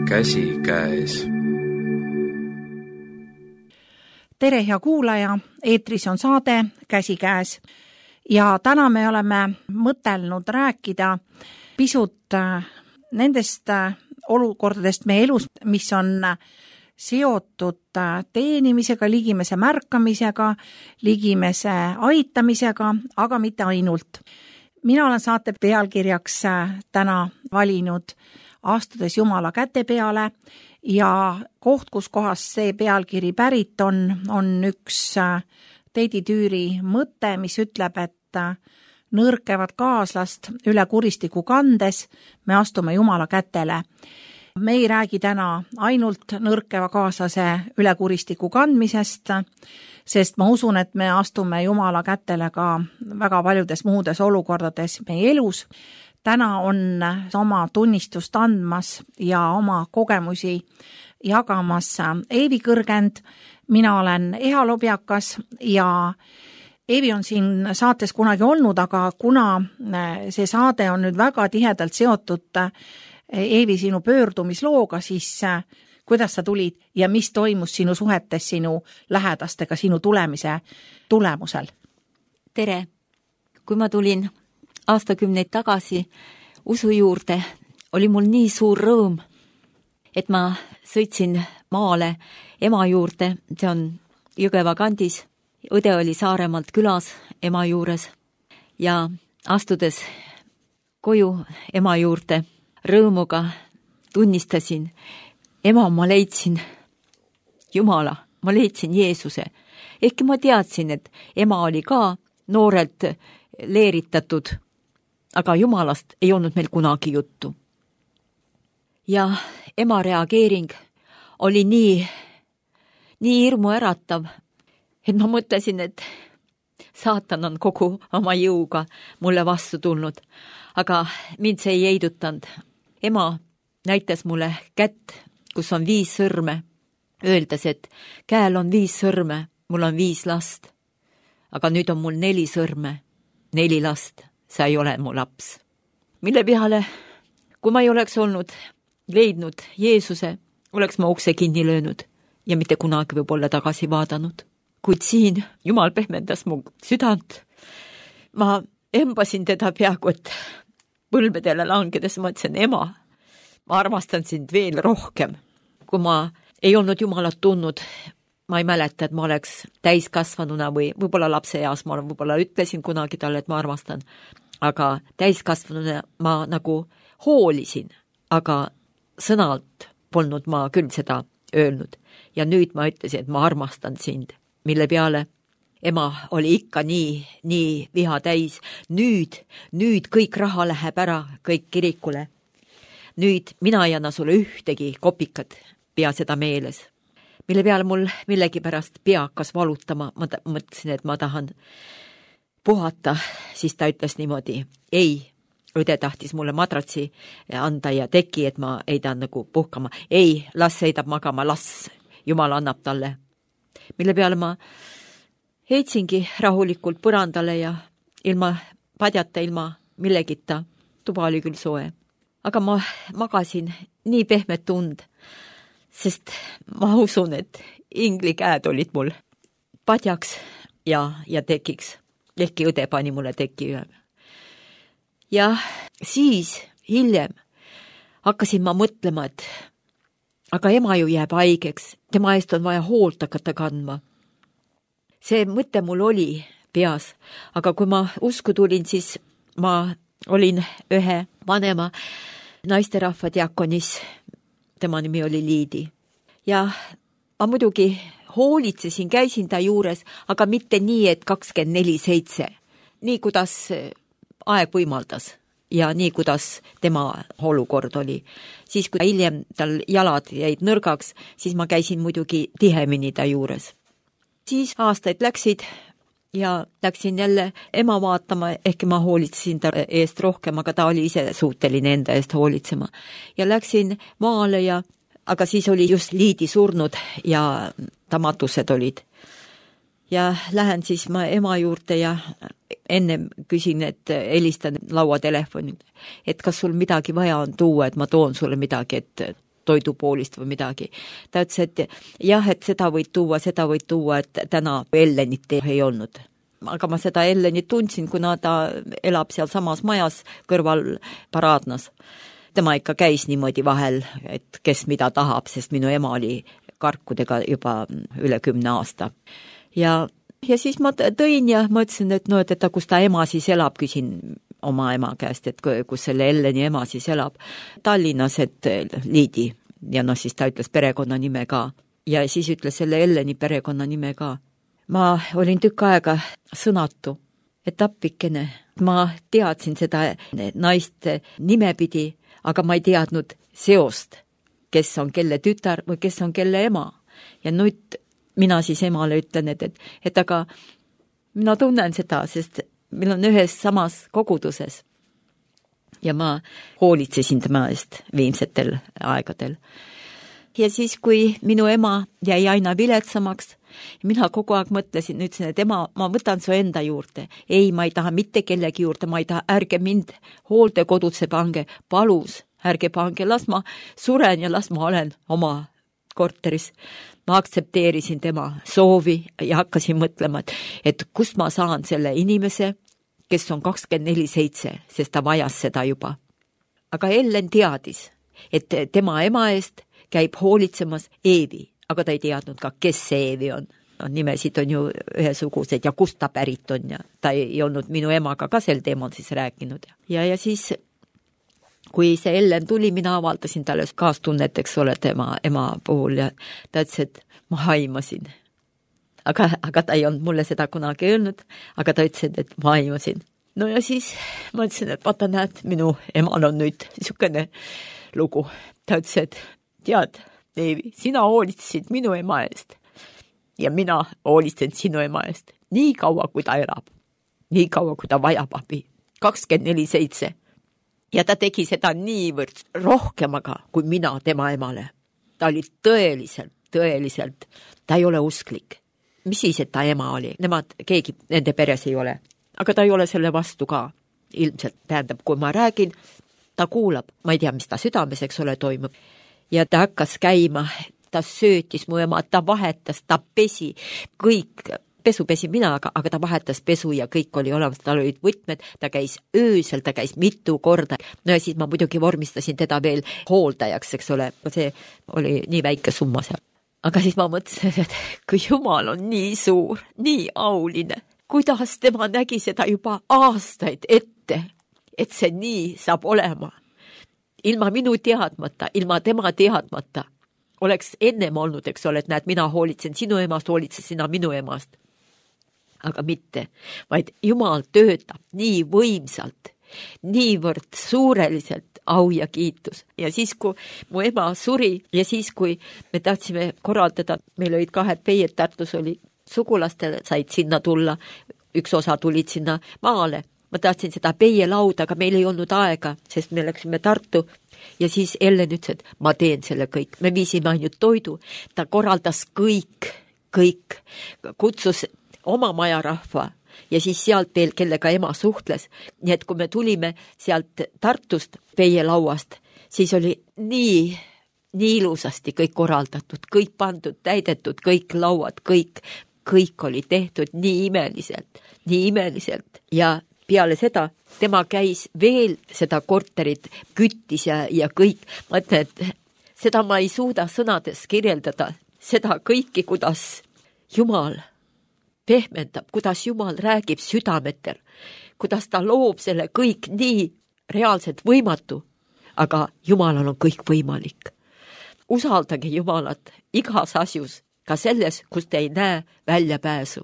käsikäes. Tere, hea kuulaja, eetris on saade Käsikäes ja täna me oleme mõtelnud rääkida pisut nendest olukordadest meie elus, mis on seotud teenimisega, ligimese märkamisega, ligimese aitamisega, aga mitte ainult. Mina olen saate pealkirjaks täna valinud Astudes Jumala käte peale ja koht, kus kohas see pealkiri pärit on üks Teidi Tüüri mõte, mis ütleb, et nõrkevat kaaslast üle kuristiku kandes me astume Jumala kätele. Me ei räägi täna ainult nõrkeva kaaslase üle kuristiku kandmisest, sest ma usun, et me astume Jumala kätele ka väga paljudes muudes olukordades meie elus. Täna on oma tunnistust andmas ja oma kogemusi jagamas Eevi Kõrgend. Mina olen Eha Lobjakas ja Eevi on siin saates kunagi olnud, aga kuna see saade on nüüd väga tihedalt seotud Eevi sinu pöördumislooga, siis kuidas sa tulid ja mis toimus sinu suhetes sinu lähedastega sinu tulemise tulemusel? Tere! Kui ma tulin aastakümneid tagasi usu juurde, oli mul nii suur rõõm, et ma sõitsin maale ema juurde, see on Jõgeva kandis. Õde oli Saaremaalt külas ema juures ja astudes koju ema juurde rõõmuga tunnistasin, ema, ma leidsin Jumala, ma leidsin Jeesuse. Ehkki ma teadsin, et ema oli ka noorelt leeritatud, aga Jumalast ei olnud meil kunagi juttu. Ja ema reageering oli nii hirmu äratav, et ma mõtlesin, et saatan on kogu oma jõuga mulle vastu tulnud, aga mind see ei heidutanud. Ema näitas mulle kätt, kus on 5 sõrme, öeldes, et käel on 5 sõrme, mul on 5 last, aga nüüd on mul 4 sõrme, 4 last, sa ei ole mu laps. Mille peale, kui ma ei oleks leidnud Jeesuse, oleks ma ukse kinni löönud ja mitte kunagi võib-olla tagasi vaadanud. Kuid siin Jumal pehmendas mu südant. Ma embasin teda peaaegu, et põlvedele langedes mõtlesin, ema, ma armastan sind veel rohkem. Kui ma ei olnud Jumalat tundnud, ma ei mäleta, et ma oleks täiskasvanuna või võib-olla lapse eas, ma võib-olla ütlesin kunagi talle, et ma armastan, aga täiskasvanuna ma nagu hoolisin, aga sõnalt polnud ma küll seda öelnud. Ja nüüd ma ütlesin, et ma armastan sind, mille peale ema oli ikka nii viha täis. Nüüd kõik raha läheb ära, kõik kirikule. Nüüd mina ei anna sulle ühtegi kopikat, pea seda meeles. Mille peale mul millegipärast pea hakkas valutama, ma mõtlesin, et ma tahan puhata, siis ta ütles niimoodi, ei, õde tahtis mulle madratsi anda ja teki, et ma ei tahan nagu puhkama. Ei, las sõidab magama, las Jumal annab talle. Mille peale ma heitsingi rahulikult põrandale ja ilma padjata, ilma millegita, tuba oli küll soe. Aga ma magasin nii pehmet tund, sest ma usun, et ingli käed olid mul padjaks ja tekiks. Ehkki õde pani mulle teki üle. Ja siis hiljem hakkasin ma mõtlema, et aga ema ju jääb haigeks, tema eest on vaja hoolt hakata kandma. See mõte mul oli peas, aga kui ma usku tulin, siis ma olin ühe vanema naisterahva diakonis, tema nimi oli Liidi. Ja ma muidugi hoolitsesin, käisin ta juures, aga mitte nii, et 24/7, nii kuidas aeg võimaldas ja nii kuidas tema olukord oli. Siis kui hiljem tal jalad jäid nõrgaks, siis ma käisin muidugi tihemini ta juures. Siis aastaid läksid ja läksin jälle ema vaatama, ehkki ma hoolitsesin ta eest rohkem, aga ta oli ise suuteline enda eest hoolitsema. Ja läksin maale aga siis oli just Liidi surnud ja ta matused olid. Ja lähen siis ma ema juurde ja ennem küsin, et helistan lauatelefoni, et kas sul midagi vaja on tuua, et ma toon sulle midagi, et toidupoolist või midagi. Ta ütles, et jah, et seda võid tuua, et täna Ellenit ei olnud. Aga ma seda Ellenit tundsin, kuna ta elab seal samas majas kõrval Paraadnas. Tema ikka käis niimoodi vahel, et kes mida tahab, sest minu ema oli karkudega juba üle 10 aasta. Ja siis ma tõin ja mõtlesin, et no, et kus ta ema siis elab, küsin oma ema käest, et kus selle Elleni ema siis elab. Tallinnas, et Liidi. Ja no siis ta ütles perekonnanime ka. Ja siis ütles selle Elleni perekonnanime ka. Ma olin tükk aega sõnatu, et appikene. Ma teadsin seda naist nimepidi, aga ma ei teadnud seost, kes on kelle tütar või kes on kelle ema. Ja nüüd mina siis emale ütlen, et aga mina tunnen seda, sest meil on ühes samas koguduses. Ja ma hoolitsesin tema eest viimsetel aegadel. Ja siis, kui minu ema jäi aina viletsamaks, mina kogu aeg mõtlesin, ütlesin, et ema, ma võtan su enda juurde. Ei, ma ei taha mitte kellegi juurde, ma ei taha, ärge mind hooldekodutse pange, palus, ärge pange, las ma suren ja las ma olen oma korteris. Ma aktsepteerisin tema soovi ja hakkasin mõtlema, et kust ma saan selle inimese, kes on 24/7, sest ta vajas seda juba. Aga Ellen teadis, et tema ema eest käib hoolitsemas Eevi, aga ta ei teadnud ka, kes see Eevi on. No, nimesid on ju ühesugused ja kust ta pärit on ja ta ei olnud minu emaga ka sel teemal siis rääkinud. Ja siis, kui see Ellen tuli, mina avaldasin talle kaastunnet, eks ole, tema ema puhul ja ta ütles, et ma haimasin. Aga ta ei olnud mulle seda kunagi öelnud, aga ta ütles, et ma haimasin. No ja siis ma ütlesin, et vaata näed, minu emal on nüüd niisugune lugu. Ta ütles, et tead, Eevi, sina hoolitsesid minu ema eest ja mina hoolitsen sinu ema eest. Nii kaua, kui ta elab. Nii kaua, kui ta vajab abi. 24/7. Ja ta tegi seda niivõrd rohkemaga kui mina tema emale. Ta oli tõeliselt, ta ei ole usklik. Mis siis, et ta ema oli? Keegi nende peres ei ole. Aga ta ei ole selle vastu ka. Ilmselt tähendab, kui ma räägin, ta kuulab. Ma ei tea, mis ta südames, eks ole, toimub. Ja ta hakkas käima, ta söötis mu ema, ta vahetas, ta pesi, kõik, pesu pesi mina, aga ta vahetas pesu ja kõik oli olemas, tal olid võtmed, ta käis öösel, ta käis mitu korda. No ja siis ma muidugi vormistasin teda veel hooldajaks, eks ole, see oli nii väike summa seal. Aga siis ma mõtlesin, et kui Jumal on nii suur, nii auline, kuidas tema nägi seda juba aastaid ette, et see nii saab olema. Ilma minu teadmata, ilma tema teadmata oleks ennem olnud, eks ole, et näed, mina hoolitsen sinu emast, hoolitsen sina minu emast. Aga mitte, vaid Jumal töötab nii võimsalt, niivõrd suureliselt, au ja kiitus. Ja siis, kui mu ema suri ja siis, kui me tahtsime korraldada, meil olid 2 peied, Tartus oli sugulastele, said sinna tulla, üks osa tulid sinna maale. Ma tahtsin seda peielauda, aga meil ei olnud aega, sest me läksime Tartu ja siis Ellen ütles, et ma teen selle kõik. Me viisime ainult toidu, ta korraldas kõik, kutsus oma majarahva ja siis sealt veel, kellega ema suhtles. Nii et kui me tulime sealt Tartust peielauast, siis oli nii ilusasti kõik korraldatud, kõik pandud, täidetud, kõik lauad, kõik oli tehtud nii imeliselt ja peale seda tema käis veel seda korterit, küttis ja kõik. Ma ütlen, et seda ma ei suuda sõnades kirjeldada, seda kõiki, kuidas Jumal pehmendab, kuidas Jumal räägib südametel, kuidas ta loob selle kõik nii reaalselt võimatu, aga Jumalal on kõik võimalik. Usaldage Jumalat igas asjus, ka selles, kus te ei näe väljapääsu.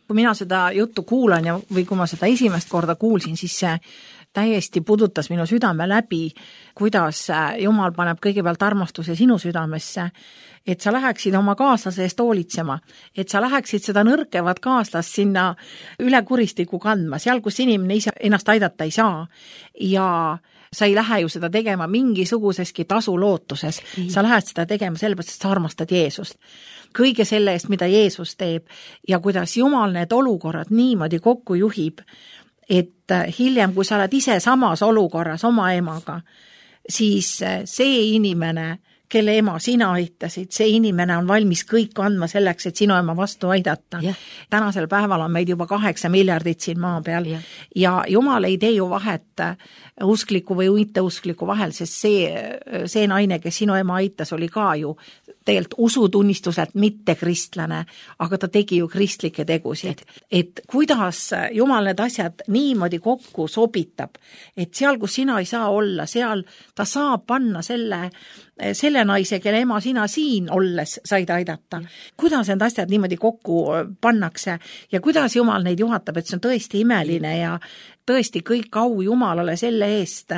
Kui mina seda juttu kuulan või kui ma seda esimest korda kuulsin, siis see täiesti pudutas minu südame läbi, kuidas Jumal paneb kõigepealt armastuse sinu südamesse, et sa läheksid oma kaaslase eest hoolitsema, et sa läheksid seda nõrkevat kaaslast sinna üle kuristiku kandma, seal, kus inimene ise ennast aidata ei saa ja sa ei lähe ju seda tegema mingisuguseski tasu lootuses, sa lähed seda tegema sellepärast, et sa armastad Jeesust. Kõige selle eest, mida Jeesus teeb ja kuidas Jumal need olukorrad niimoodi kokku juhib, et hiljem, kui sa oled ise samas olukorras oma emaga, siis see inimene, kelle ema sina aitasid, see inimene on valmis kõik andma selleks, et sinu ema vastu aidata. Tänasel päeval on meid juba 8 miljardit siin maa peal ja Jumal ei tee ju vahet uskliku või mitteuskliku vahel, sest see naine, kes sinu ema aitas, oli ka ju tegelikult usutunnistuselt mitte kristlane, aga ta tegi ju kristlikke tegusid. Et kuidas Jumal need asjad niimoodi kokku sobitab, et seal, kus sina ei saa olla, seal ta saab panna selle naise, kelle ema sina siin olles said aidata. Kuidas need asjad niimoodi kokku pannakse ja kuidas Jumal neid juhatab, et see on tõesti imeline ja tõesti kõik au Jumalale selle eest,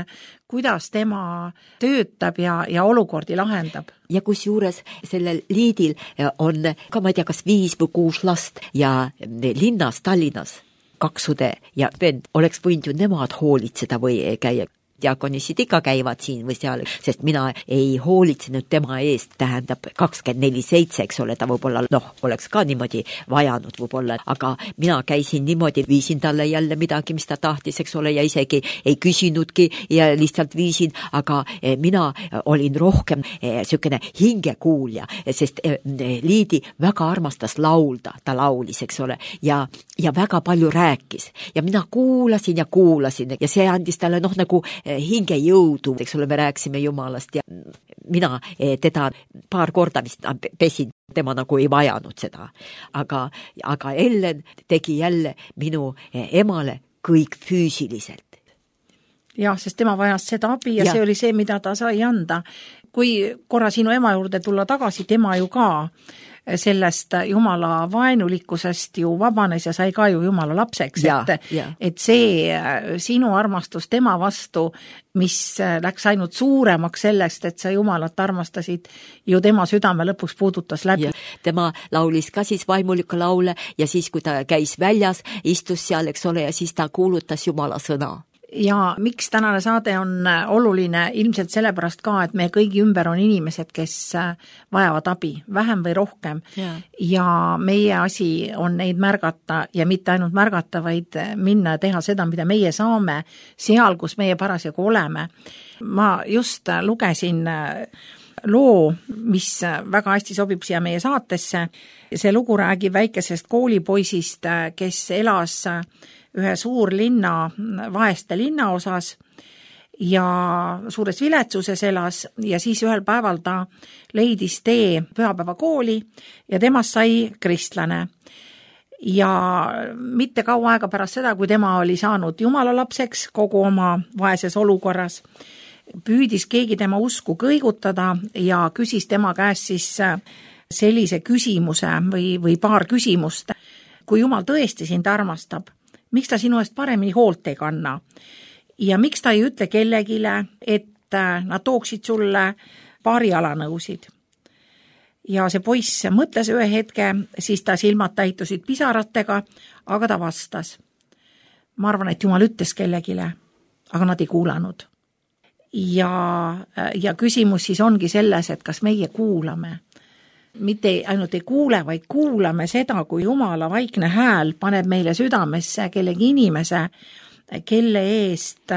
kuidas tema töötab ja olukordi lahendab. Ja kus juures sellel Liidil on ka, ma ei tea, kas 5 või 6 last ja linnas, Tallinnas 2 õde ja vend oleks võinud ju nemad hoolitseda või käia. Diakonisid ikka käivad siin või seal, sest mina ei hoolitsenud tema eest, tähendab 24/7, eks ole, ta võib-olla, oleks ka niimoodi vajanud võib-olla, aga mina käisin niimoodi, viisin talle jälle midagi, mis ta tahtis, eks ole, ja isegi ei küsinudki ja lihtsalt viisin, aga mina olin rohkem sükene hingekuulja, sest Liidi väga armastas laulda, ta laulis, eks ole, ja väga palju rääkis ja mina kuulasin ja see andis talle nagu hinge jõudu, eks ole, me rääkisime Jumalast ja mina teda paar korda vist pesin, tema nagu ei vajanud seda. Aga Ellen tegi jälle minu emale kõik füüsiliselt. Jah, sest tema vajas seda abi ja see oli see, mida ta sai anda. Kui korra sinu ema juurde tulla tagasi, tema ju ka sellest Jumala vaenulikkusest ju vabanes ja sai ka ju Jumala lapseks, et see sinu armastus tema vastu, mis läks ainult suuremaks sellest, et sa Jumalat armastasid, ju tema südame lõpuks puudutas läbi. Tema laulis ka siis vaimulikku laule ja siis, kui ta käis väljas, istus seal, eks ole, ja siis ta kuulutas Jumala sõna. Ja miks tänane saade on oluline? Ilmselt sellepärast ka, et meie kõigi ümber on inimesed, kes vajavad abi, vähem või rohkem. Ja meie asi on neid märgata ja mitte ainult märgata, vaid minna ja teha seda, mida meie saame seal, kus meie parasjagu oleme. Ma just lugesin loo, mis väga hästi sobib siia meie saatesse. See lugu räägib väikesest koolipoisist, kes elas ühe suurlinna, vaeste linna osas ja suures viletsuses elas ja siis ühel päeval ta leidis tee pühapäevakooli ja temast sai kristlane. Ja mitte kaua aega pärast seda, kui tema oli saanud Jumala lapseks kogu oma vaeses olukorras, püüdis keegi tema usku kõigutada ja küsis tema käest siis sellise küsimuse või paar küsimust. Kui Jumal tõesti sind armastab, miks ta sinu eest paremini hoolt ei kanna? Ja miks ta ei ütle kellegile, et nad tooksid sulle paari jalanõusid? Ja see poiss mõtles ühe hetke, siis ta silmad täitusid pisaratega, aga ta vastas. Ma arvan, et Jumal ütles kellegile, aga nad ei kuulanud. Ja küsimus siis ongi selles, et kas meie kuulame. Mitte ainult ei kuule, vaid kuulame seda, kui Jumala vaikne hääl paneb meile südamesse kellegi inimese, kelle eest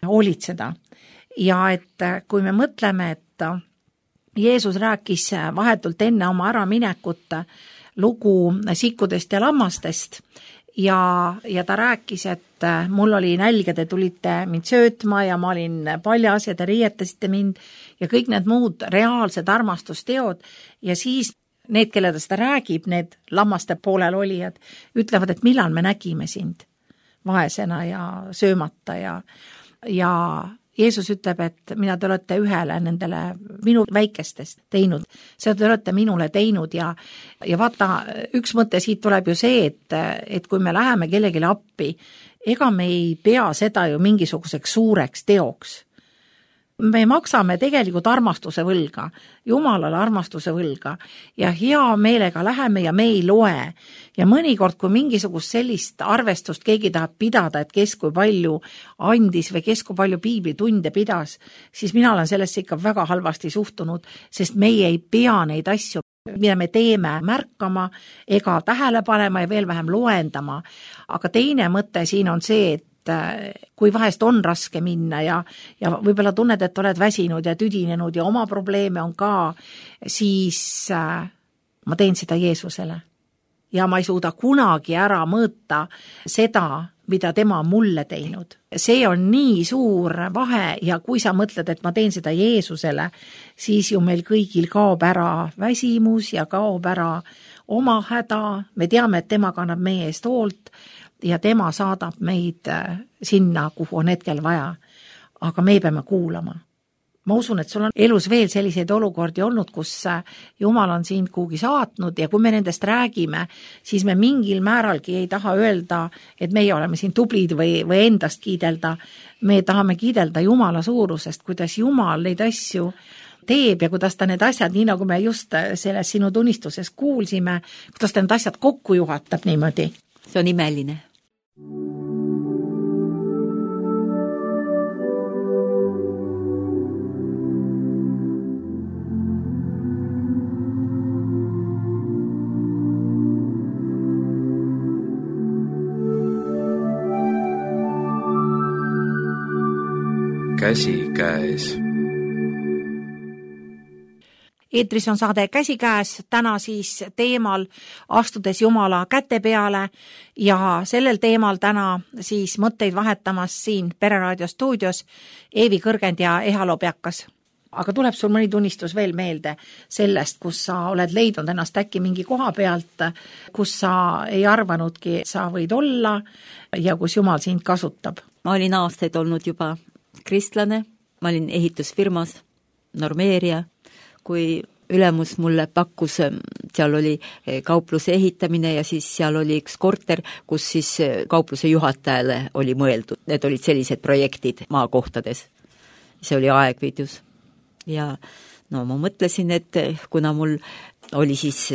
hoolitseda. Ja et kui me mõtleme, et Jeesus rääkis vahetult enne oma äraminekut lugu sikkudest ja lammastest ja ta rääkis, et mul oli nälg ja te tulite mind söötma ja ma olin paljas ja te riietasite mind ja kõik need muud reaalsed armastusteod ja siis need, kelle ta seda räägib, need lammaste poolel olijad, ütlevad, et millal me nägime sind vaesena ja söömata ja Jeesus ütleb, et mida te olete ühele nendele minu väikestest teinud, seda te olete minule teinud ja vaata, üks mõte siit tuleb ju see, et kui me läheme kellegile appi, ega me ei pea seda ju mingisuguseks suureks teoks. Me maksame tegelikult armastuse võlga, Jumalale armastuse võlga ja hea meelega läheme ja me ei loe. Ja mõnikord, kui mingisugust sellist arvestust keegi tahab pidada, et kes kui palju andis või kes kui palju piiblitunde pidas, siis mina olen sellesse ikka väga halvasti suhtunud, sest meie ei pea neid asju, mida me teeme, märkama ega tähele panema ja veel vähem loendama. Aga teine mõte siin on see, et kui vahest on raske minna ja võib-olla tunned, et oled väsinud ja tüdinenud ja oma probleeme on ka, siis ma teen seda Jeesusele. Ja ma ei suuda kunagi ära mõõta seda, mida tema on mulle teinud. See on nii suur vahe ja kui sa mõtled, et ma teen seda Jeesusele, siis ju meil kõigil kaob ära väsimus ja kaob ära oma häda. Me teame, et tema kannab meie eest hoolt ja tema saadab meid sinna, kuhu on hetkel vaja. Aga me peame kuulama. Ma usun, et sul on elus veel selliseid olukordi olnud, kus Jumal on sind kuhugi saatnud ja kui me nendest räägime, siis me mingil määralgi ei taha öelda, et meie oleme siin tublid või endast kiidelda. Me tahame kiidelda Jumala suurusest, kuidas Jumal neid asju teeb ja kuidas ta need asjad, nii nagu me just selles sinu tunnistuses kuulsime, kuidas ta need asjad kokku juhatab niimoodi. See on imeline. Käsikäes. Eetris on saade Käsikäes, täna siis teemal astudes Jumala käte peale ja sellel teemal täna siis mõtteid vahetamas siin Pereraadio stuudios Eevi Kõrgend ja Eha Lobjakas. Aga tuleb sul mõni tunnistus veel meelde sellest, kus sa oled leidnud ennast äkki mingi koha pealt, kus sa ei arvanudki, et sa võid olla ja kus Jumal sind kasutab? Ma olin aastaid olnud juba kristlane, ma olin ehitusfirmas, normeerija, kui ülemus mulle pakkus, seal oli kaupluse ehitamine ja siis seal oli üks korter, kus siis kaupluse juhatajale oli mõeldud. Need olid sellised projektid maakohtades. See oli Aegviidus. Ja no ma mõtlesin, et kuna mul oli siis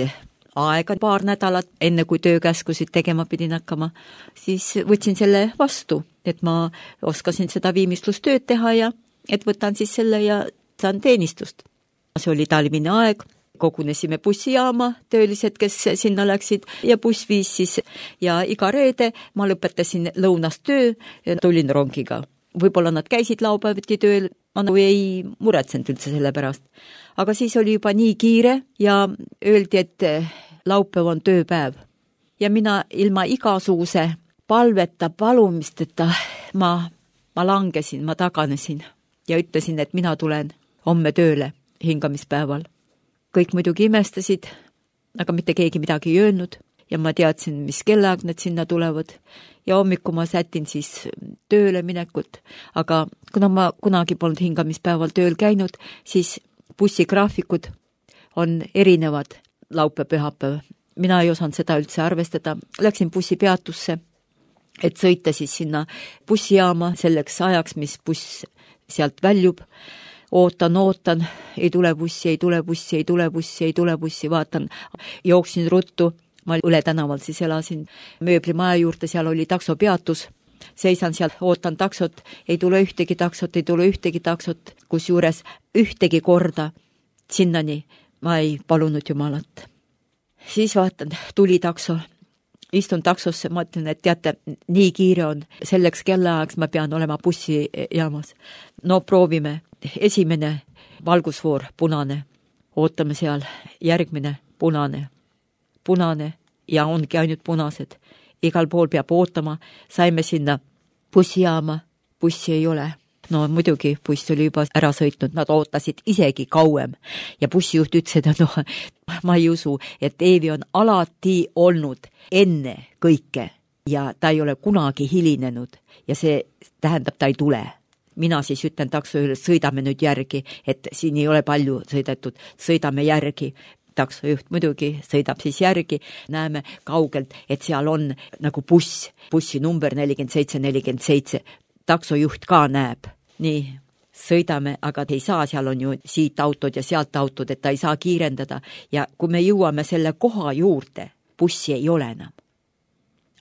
aega paar nädalat, enne kui töökäskusid tegema pidin hakkama, siis võtsin selle vastu, et ma oskasin seda viimistlustööd teha ja et võtan siis selle ja saan teenistust. See oli talvine aeg, kogunesime bussijaama, töölised, kes sinna läksid ja buss viis siis ja iga reede ma lõpetasin lõunast töö ja tulin rongiga. Võib-olla nad käisid laupäeviti tööl, ma ei muretsenud üldse selle pärast. Aga siis oli juba nii kiire ja öeldi, et laupäev on tööpäev. Ja mina ilma igasuguse palveta, palumisteta ma langesin, ma taganesin ja ütlesin, et mina tulen homme tööle hingamispäeval. Kõik muidugi imestasid, aga mitte keegi midagi ei öelnud ja ma teadsin, mis kellaaeg nad sinna tulevad. Ja hommiku ma sätin siis tööle minekut, aga kuna ma kunagi polnud hingamispäeval tööl käinud, siis bussigraafikud on erinevad laupäev-pühapäev. Mina ei osanud seda üldse arvestada. Läksin bussipeatusse, et sõita siis sinna bussijaama selleks ajaks, mis buss sealt väljub. Ootan, ei tule bussi, vaatan, jooksin ruttu. Ma üle tänaval siis elasin mööblimaja juurde, seal oli taksopeatus. Seisan seal, ootan taksot, ei tule ühtegi taksot, kus juures ühtegi korda sinnani ma ei palunud Jumalat. Siis vaatan, tuli takso, istun taksosse, ma ütlen, et teate, nii kiire on, selleks kellaajaks ma pean olema bussijaamas. No proovime, esimene valgusvoor, punane, ootame seal, järgmine, punane ja ongi ainult punased. Igal pool peab ootama, saime sinna bussijaama, bussi ei ole. No muidugi buss oli juba ära sõitnud, nad ootasid isegi kauem ja bussijuht ütles, et ma ei usu, et Eevi on alati olnud enne kõike ja ta ei ole kunagi hilinenud ja see tähendab, ta ei tule. Mina siis ütlen taksojuhile, sõidame nüüd järgi, et siin ei ole palju sõidetud, sõidame järgi. Taksojuht muidugi sõidab siis järgi, näeme kaugelt, et seal on nagu bussi number 4747. Taksojuht ka näeb. Nii, sõidame, aga ei saa, seal on ju siit autod ja sealt autod, et ta ei saa kiirendada. Ja kui me jõuame selle koha juurde, bussi ei ole enam.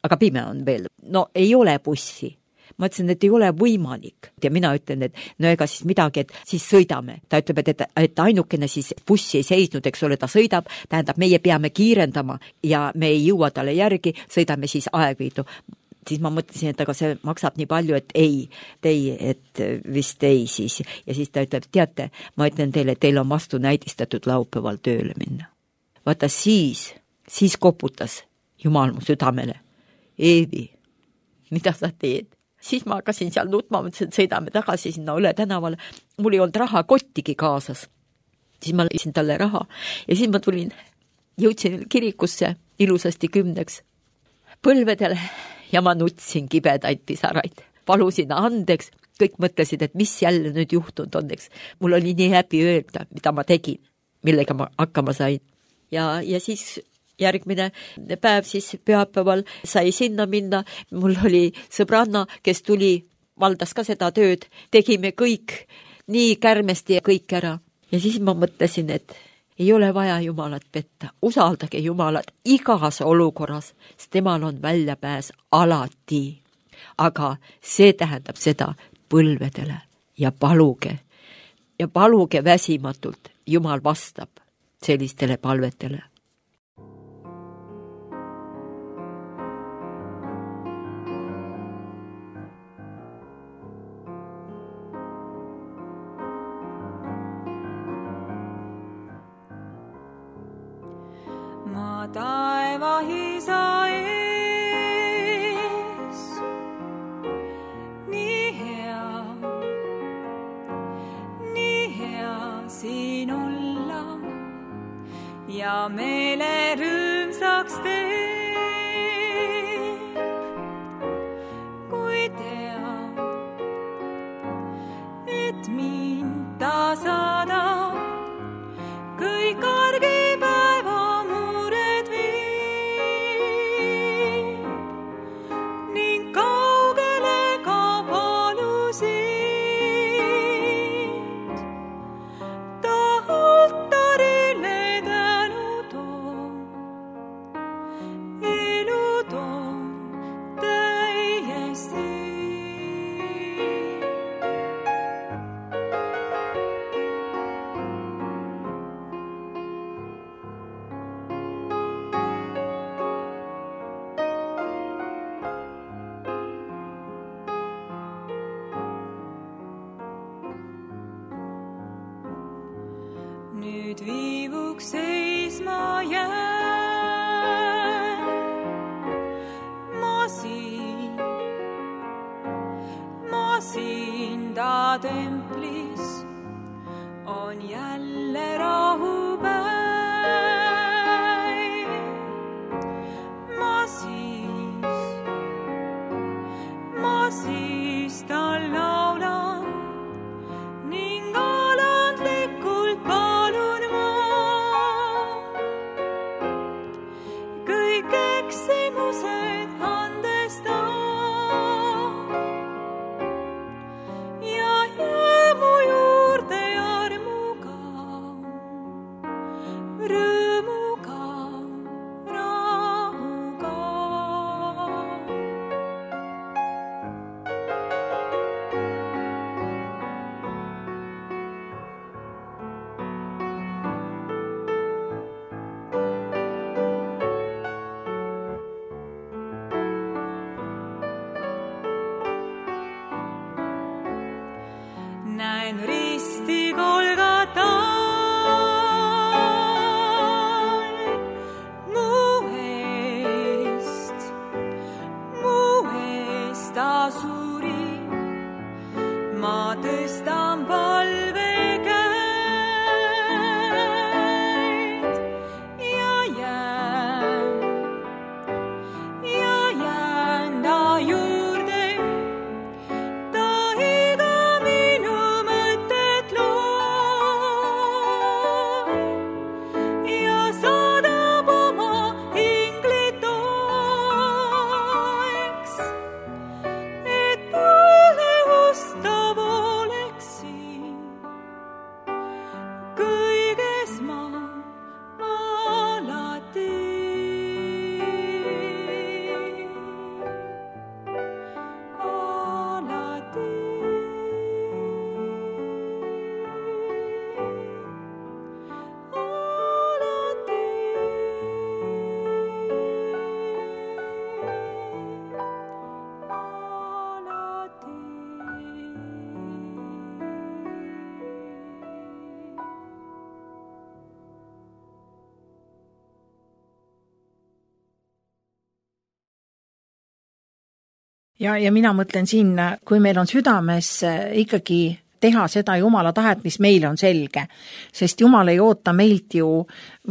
Aga pime on veel. No ei ole bussi. Ma ütlesin, et ei ole võimalik. Ja mina ütlen, et no ega siis midagi, et siis sõidame. Ta ütleb, et ainukene siis bussi ei seisnud, eks ole, ta sõidab, tähendab, meie peame kiirendama ja me ei jõua talle järgi, sõidame siis Aegviidu. siis ma mõtlesin, et aga see maksab nii palju, et et vist ei siis. Ja siis ta ütleb, teate, ma ütlen teile, et teil on vastu näidistatud laupäeval tööle minna. Vaata siis koputas Jumal mu südamele. Eevi, mida sa teed? Siis ma hakkasin seal nutma, mõtlesin, et sõidame tagasi sinna Õle tänavale. Mul ei olnud raha kottigi kaasas. Siis ma lõisin talle raha ja siis ma jõudsin kirikusse ilusasti 10 põlvedele ja ma nutsin kibedaid pisaraid. Palusin andeks, kõik mõtlesid, et mis jälle nüüd juhtunud on, eks. Mul oli nii häbi öelda, mida ma tegin, millega ma hakkama sain. Ja siis järgmine päev siis pühapäeval sai sinna minna. Mul oli sõbranna, kes valdas ka seda tööd. Tegime kõik nii kärmesti ja kõik ära. Ja siis ma mõtlesin, et ei ole vaja Jumalat petta. Usaldage Jumalat igas olukorras, sest temal on väljapääs alati. Aga see tähendab seda põlvedele ja paluge väsimatult. Jumal vastab sellistele palvetele. Ma taeva Isa ees, nii hea siin olla ja meile rõõmsaks teeb, kui teab, et mind ta saadab kõik argipäeva mured viib ning kaugele ka palusid ta altarile tänu toob, elu toob täiesti. Nüüd viivuks seisma jään, ma siin ta templis on jälle rahupäev. Ma siis tal laulan ning alandlikult palun ma kõik eksimused andesta ja jää mu juurde armuga, rõõmuga, rahuga. Näen risti Golgatal mu eest ta suri. Ma tõstan palvekäed ja jään ta juurde. See ja mina mõtlen siin, kui meil on südames ikkagi teha seda Jumala tahet, mis meile on selge, sest Jumal ei oota meilt ju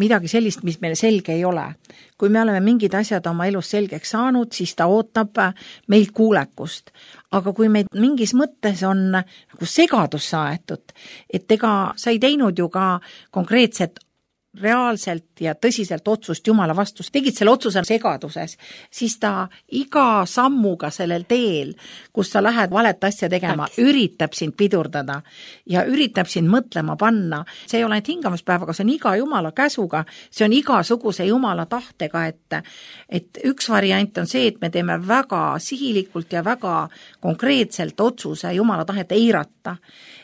midagi sellist, mis meile selge ei ole. Kui me oleme mingid asjad oma elus selgeks saanud, siis ta ootab meilt kuulekust. Aga kui meid mingis mõttes on nagu segadus saetud, et ega sa ei teinud ju ka konkreetset reaalselt ja tõsiselt otsust Jumala vastu, tegid selle otsuse segaduses, siis ta iga sammuga sellel teel, kus sa lähed valet asja tegema, üritab sind pidurdada ja üritab sind mõtlema panna. See ei ole ainult hingamispäevaga, see on iga Jumala käsuga, see on igasuguse Jumala tahtega, et üks variant on see, et me teeme väga sihilikult ja väga konkreetselt otsuse Jumala tahet eirata.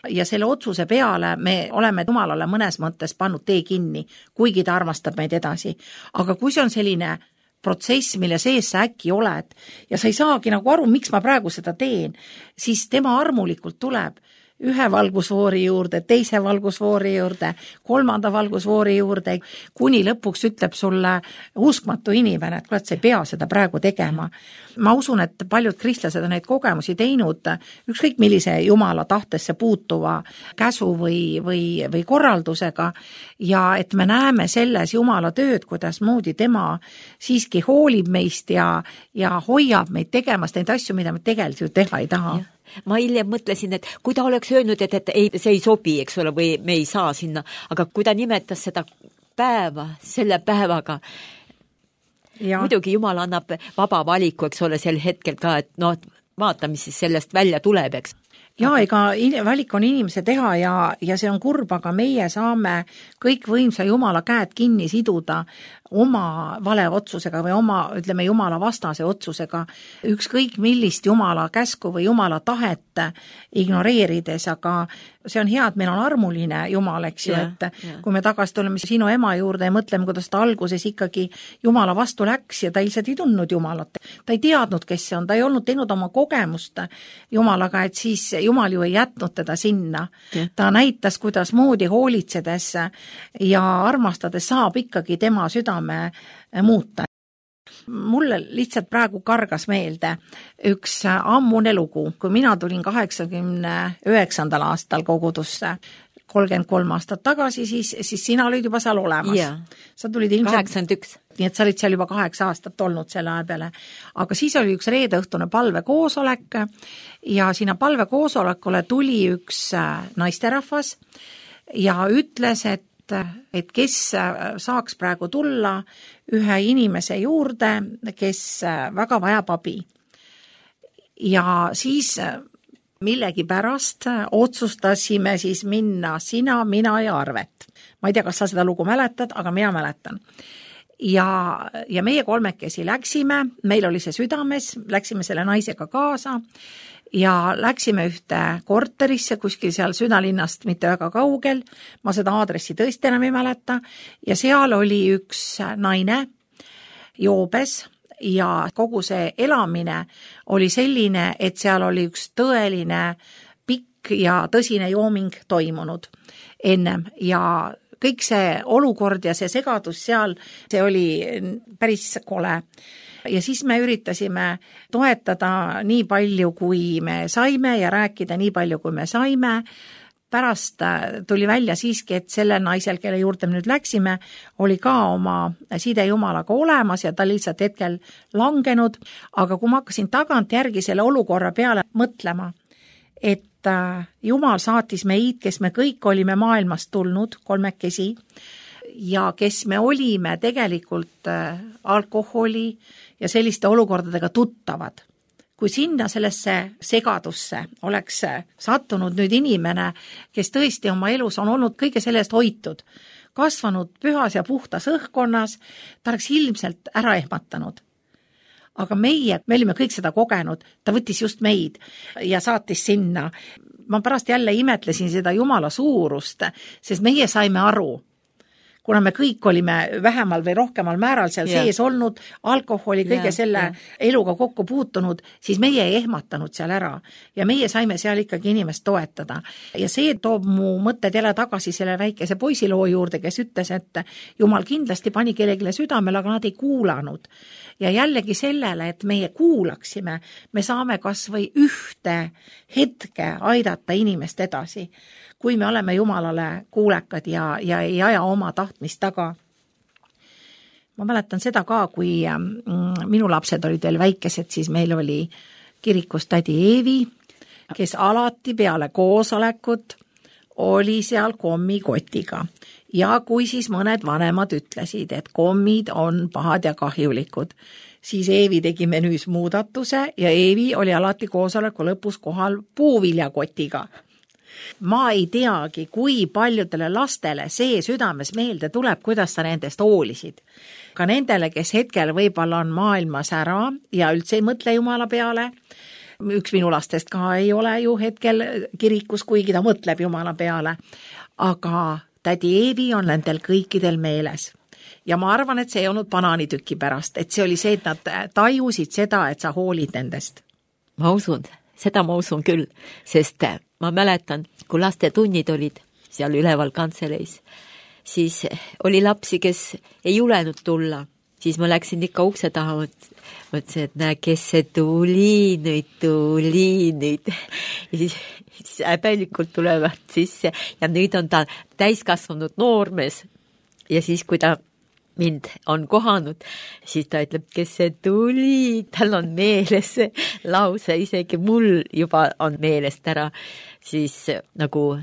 Ja selle otsuse peale me oleme Jumalale mõnes mõttes pannud tee kinni, kuigi ta armastab meid edasi. Aga kui see on selline protsess, mille sees sa äkki oled ja sa ei saagi nagu aru, miks ma praegu seda teen, siis tema armulikult tuleb ühe valgusfoori juurde, teise valgusfoori juurde, kolmanda valgusfoori juurde, kuni lõpuks ütleb sulle uskmatu inimene, et kuule, et sa ei pea seda praegu tegema. Ma usun, et paljud kristlased on neid kogemusi teinud ükskõik millise Jumala tahtesse puutuva käsu või korraldusega ja et me näeme selles Jumala tööd, kuidas moodi tema siiski hoolib meist ja hoiab meid tegemas neid asju, mida me tegelikult ju teha ei taha. Ma hiljem mõtlesin, et kui ta oleks öelnud, et ei, see ei sobi, eks ole, või me ei saa sinna, aga kui ta nimetas seda päeva selle päevaga, muidugi Jumal annab vaba valiku, eks ole, sel hetkel ka, et vaata, mis siis sellest välja tuleb, eks. Ja ega valik on inimese teha ja see on kurb, aga meie saame kõik võimsa Jumala käed kinni siduda oma vale otsusega või oma, ütleme, Jumala vastase otsusega, ükskõik millist Jumala käsku või Jumala tahet ignoreerides, aga see on hea, et meil on armuline Jumal, eks ju, et kui me tagasi tuleme sinu ema juurde ja mõtleme, kuidas ta alguses ikkagi Jumala vastu läks ja ta ilmselt ei tundnud Jumalat. Ta ei teadnud, kes see on, ta ei olnud teinud oma kogemust Jumalaga, et siis Jumal ju ei jätnud teda sinna. Ta näitas, kuidas moodi hoolitsedes ja armastades saab ikkagi tema südame muuta. Mulle lihtsalt praegu kargas meelde üks ammune lugu, kui mina tulin 89. aastal kogudusse, 33 aastat tagasi, siis sina olid juba seal olemas. Sa tulid ilmselt 81. Nii et sa olid seal juba 8 aastat olnud selle aja peale. Aga siis oli üks reedeõhtune palvekoosolek ja sinna palvekoosolekule tuli üks naisterahvas ja ütles, et kes saaks praegu tulla ühe inimese juurde, kes väga vajab abi. Ja siis millegipärast otsustasime siis minna sina, mina ja Arvet. Ma ei tea, kas sa seda lugu mäletad, aga mina mäletan. Ja meie kolmekesi läksime, meil oli see südames, läksime selle naisega kaasa ja läksime ühte korterisse kuskil seal südalinnast mitte väga kaugel, ma seda aadressi tõesti enam ei mäleta, ja seal oli üks naine joobes ja kogu see elamine oli selline, et seal oli üks tõeline pikk ja tõsine jooming toimunud ennem ja kõik see olukord ja see segadus seal, see oli päris kole. Ja siis me üritasime toetada nii palju, kui me saime ja rääkida nii palju, kui me saime. Pärast tuli välja siiski, et selle naisel, kelle juurde me nüüd läksime, oli ka oma side Jumalaga olemas ja ta lihtsalt hetkel langenud. Aga kui ma hakkasin tagant järgi selle olukorra peale mõtlema, et Jumal saatis meid, kes me kõik olime maailmast tulnud, kolmekesi, ja kes me olime tegelikult alkoholi ja selliste olukordadega tuttavad. Kui sinna sellesse segadusse oleks sattunud nüüd inimene, kes tõesti oma elus on olnud kõige sellest hoitud, kasvanud pühas ja puhtas õhkkonnas, ta oleks ilmselt ära ehmatanud. Aga me olime kõik seda kogenud, ta võttis just meid ja saatis sinna. Ma pärast jälle imetlesin seda Jumala suurust, sest meie saime aru, kuna me kõik olime vähemal või rohkemal määral seal sees olnud, alkoholi, kõige selle eluga kokku puutunud, siis meie ei ehmatanud seal ära ja meie saime seal ikkagi inimest toetada. Ja see toob mu mõtted jälle tagasi selle väikese poisiloo juurde, kes ütles, et Jumal kindlasti pani kellelegi südamele, aga nad ei kuulanud. Ja jällegi sellele, et meie kuulaksime, me saame kas või ühte hetke aidata inimest edasi, kui me oleme Jumalale kuulekad ja ei aja oma tahtmist taga. Ma mäletan seda ka, kui minu lapsed olid veel väikesed, siis meil oli kirikus tädi Eevi, kes alati peale koosolekut oli seal kommikotiga. Ja kui siis mõned vanemad ütlesid, et kommid on pahad ja kahjulikud, siis Eevi tegi menüüs muudatuse ja Eevi oli alati koosoleku lõpus kohal puuviljakotiga. Ma ei teagi, kui paljudele lastele see südames meelde tuleb, kuidas sa nendest hoolisid. Ka nendele, kes hetkel võib-olla on maailmas ära ja üldse ei mõtle Jumala peale. Üks minu lastest ka ei ole ju hetkel kirikus, kuigi ta mõtleb Jumala peale. Aga tädi Eevi on nendel kõikidel meeles. Ja ma arvan, et see ei olnud banaanitüki pärast, et see oli see, et nad tajusid seda, et sa hoolid nendest. Ma usun, seda ma usun küll, sest ma mäletan, kui laste tunnid olid seal üleval kantseleis, siis oli lapsi, kes ei julenud tulla. Siis ma läksin ikka ukse taha, mõtlesin, et näe, kes see tuli nüüd. Ja siis häbelikult tulevad sisse ja nüüd on ta täiskasvanud noormees. Ja siis, kui ta mind on kohanud, siis ta ütleb, kes see tuli, tal on meeles see lause, isegi mul juba on meelest ära, siis nagu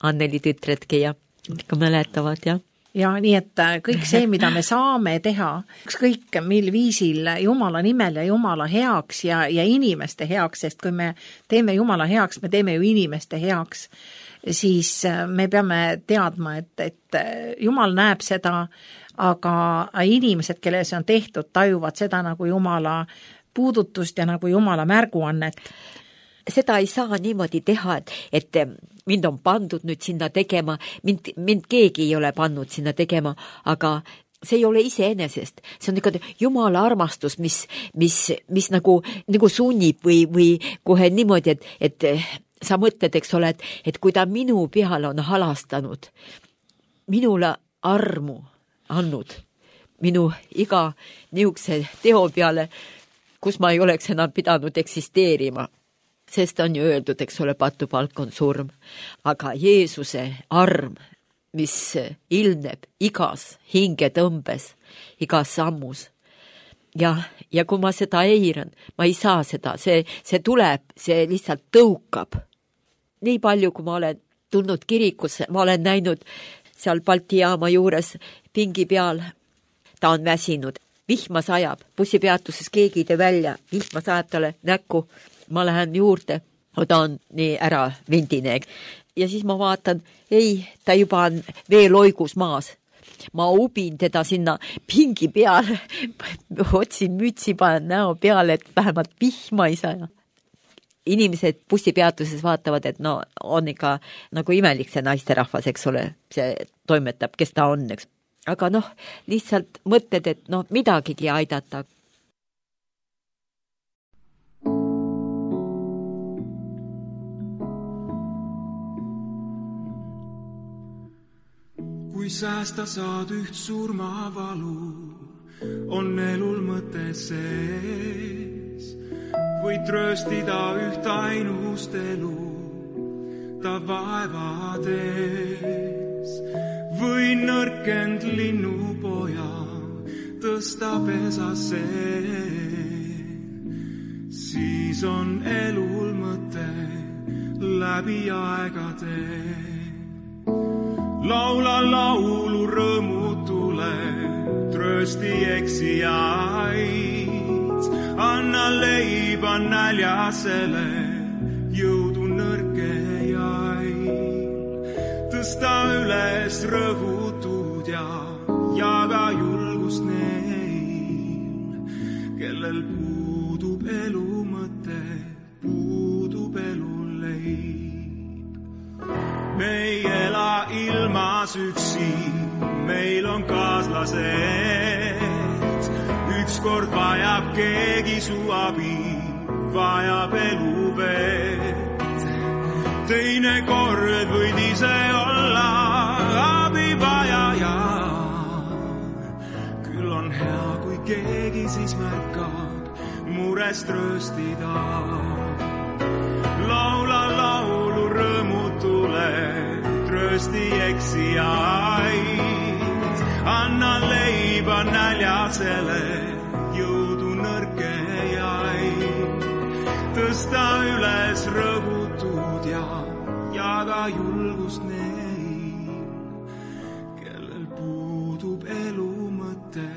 Anneli tütredki ja ikka mäletavad, jah. Ja nii, et kõik see, mida me saame teha, ükskõik mil viisil Jumala nimel ja Jumala heaks ja inimeste heaks, sest kui me teeme Jumala heaks, me teeme ju inimeste heaks, siis me peame teadma, et Jumal näeb seda, aga inimesed, kelle see on tehtud, tajuvad seda nagu Jumala puudutust ja nagu Jumala märguannet. Seda ei saa niimoodi teha, et mind on pandud nüüd sinna tegema, mind keegi ei ole pannud sinna tegema, aga see ei ole iseenesest. See on ikka Jumala armastus, mis nagu sunnib või kohe niimoodi, et sa mõtled, eks ole, et kui ta minu peale on halastanud, minule armu andnud, minu iga niisuguse teo peale, kus ma ei oleks enam pidanud eksisteerima. Sest on ju öeldud, eks ole, patupalk on surm. Aga Jeesuse arm, mis ilmneb igas hingetõmbes, igas sammus. Ja kui ma seda eiran, ma ei saa seda, see tuleb, see lihtsalt tõukab. Nii palju, kui ma olen tulnud kirikusse, ma olen näinud seal Balti jaama juures pingi peal, ta on väsinud, vihma sajab, bussipeatuses keegi ei tee välja, vihma sajab talle näkku, ma lähen juurde, ta on nii ära vindine. Ja siis ma vaatan, ei, ta juba on veeloigus maas. Ma ubin teda sinna pingi peale, otsin mütsi, panen näo peale, et vähemalt vihma ei saja. Inimesed bussipeatuses vaatavad, et no on ikka nagu imelik see naisterahvas, eks ole, see toimetab, kes ta on, eks. Aga noh, lihtsalt mõtled, et no midagigi aidata. Kui säästa saad üht surmavalu, on elul mõte sees. Võid trööstida üht ainust elu, ta vaevades. Võin nõrkend linnupoja tõsta pesasse. Siis on elul mõte läbi aegade. Laula laulu rõõmutule, tröösti eksijaid. Anna leiba näljasele, jõudu nõrkejail. Tõsta üles rõhutud ja jaga julgust neil, kellel puudub elu mõte, puudub elu leib. Me ei ela ilmas üksi, meil on kaaslased. Ükskord vajab keegi su abi, vajab eluvett. Teine kord võid ise olla abivajaja. Küll on hea, kui keegi siis märkab murest rööstida. Laula laulu rõõmutule, tröösti eksijaid. Anna leiba näljasele, jõudu nõrkejaid. Tõsta üles rõhutud ja jaga julgust neil, kellel puudub elu mõte,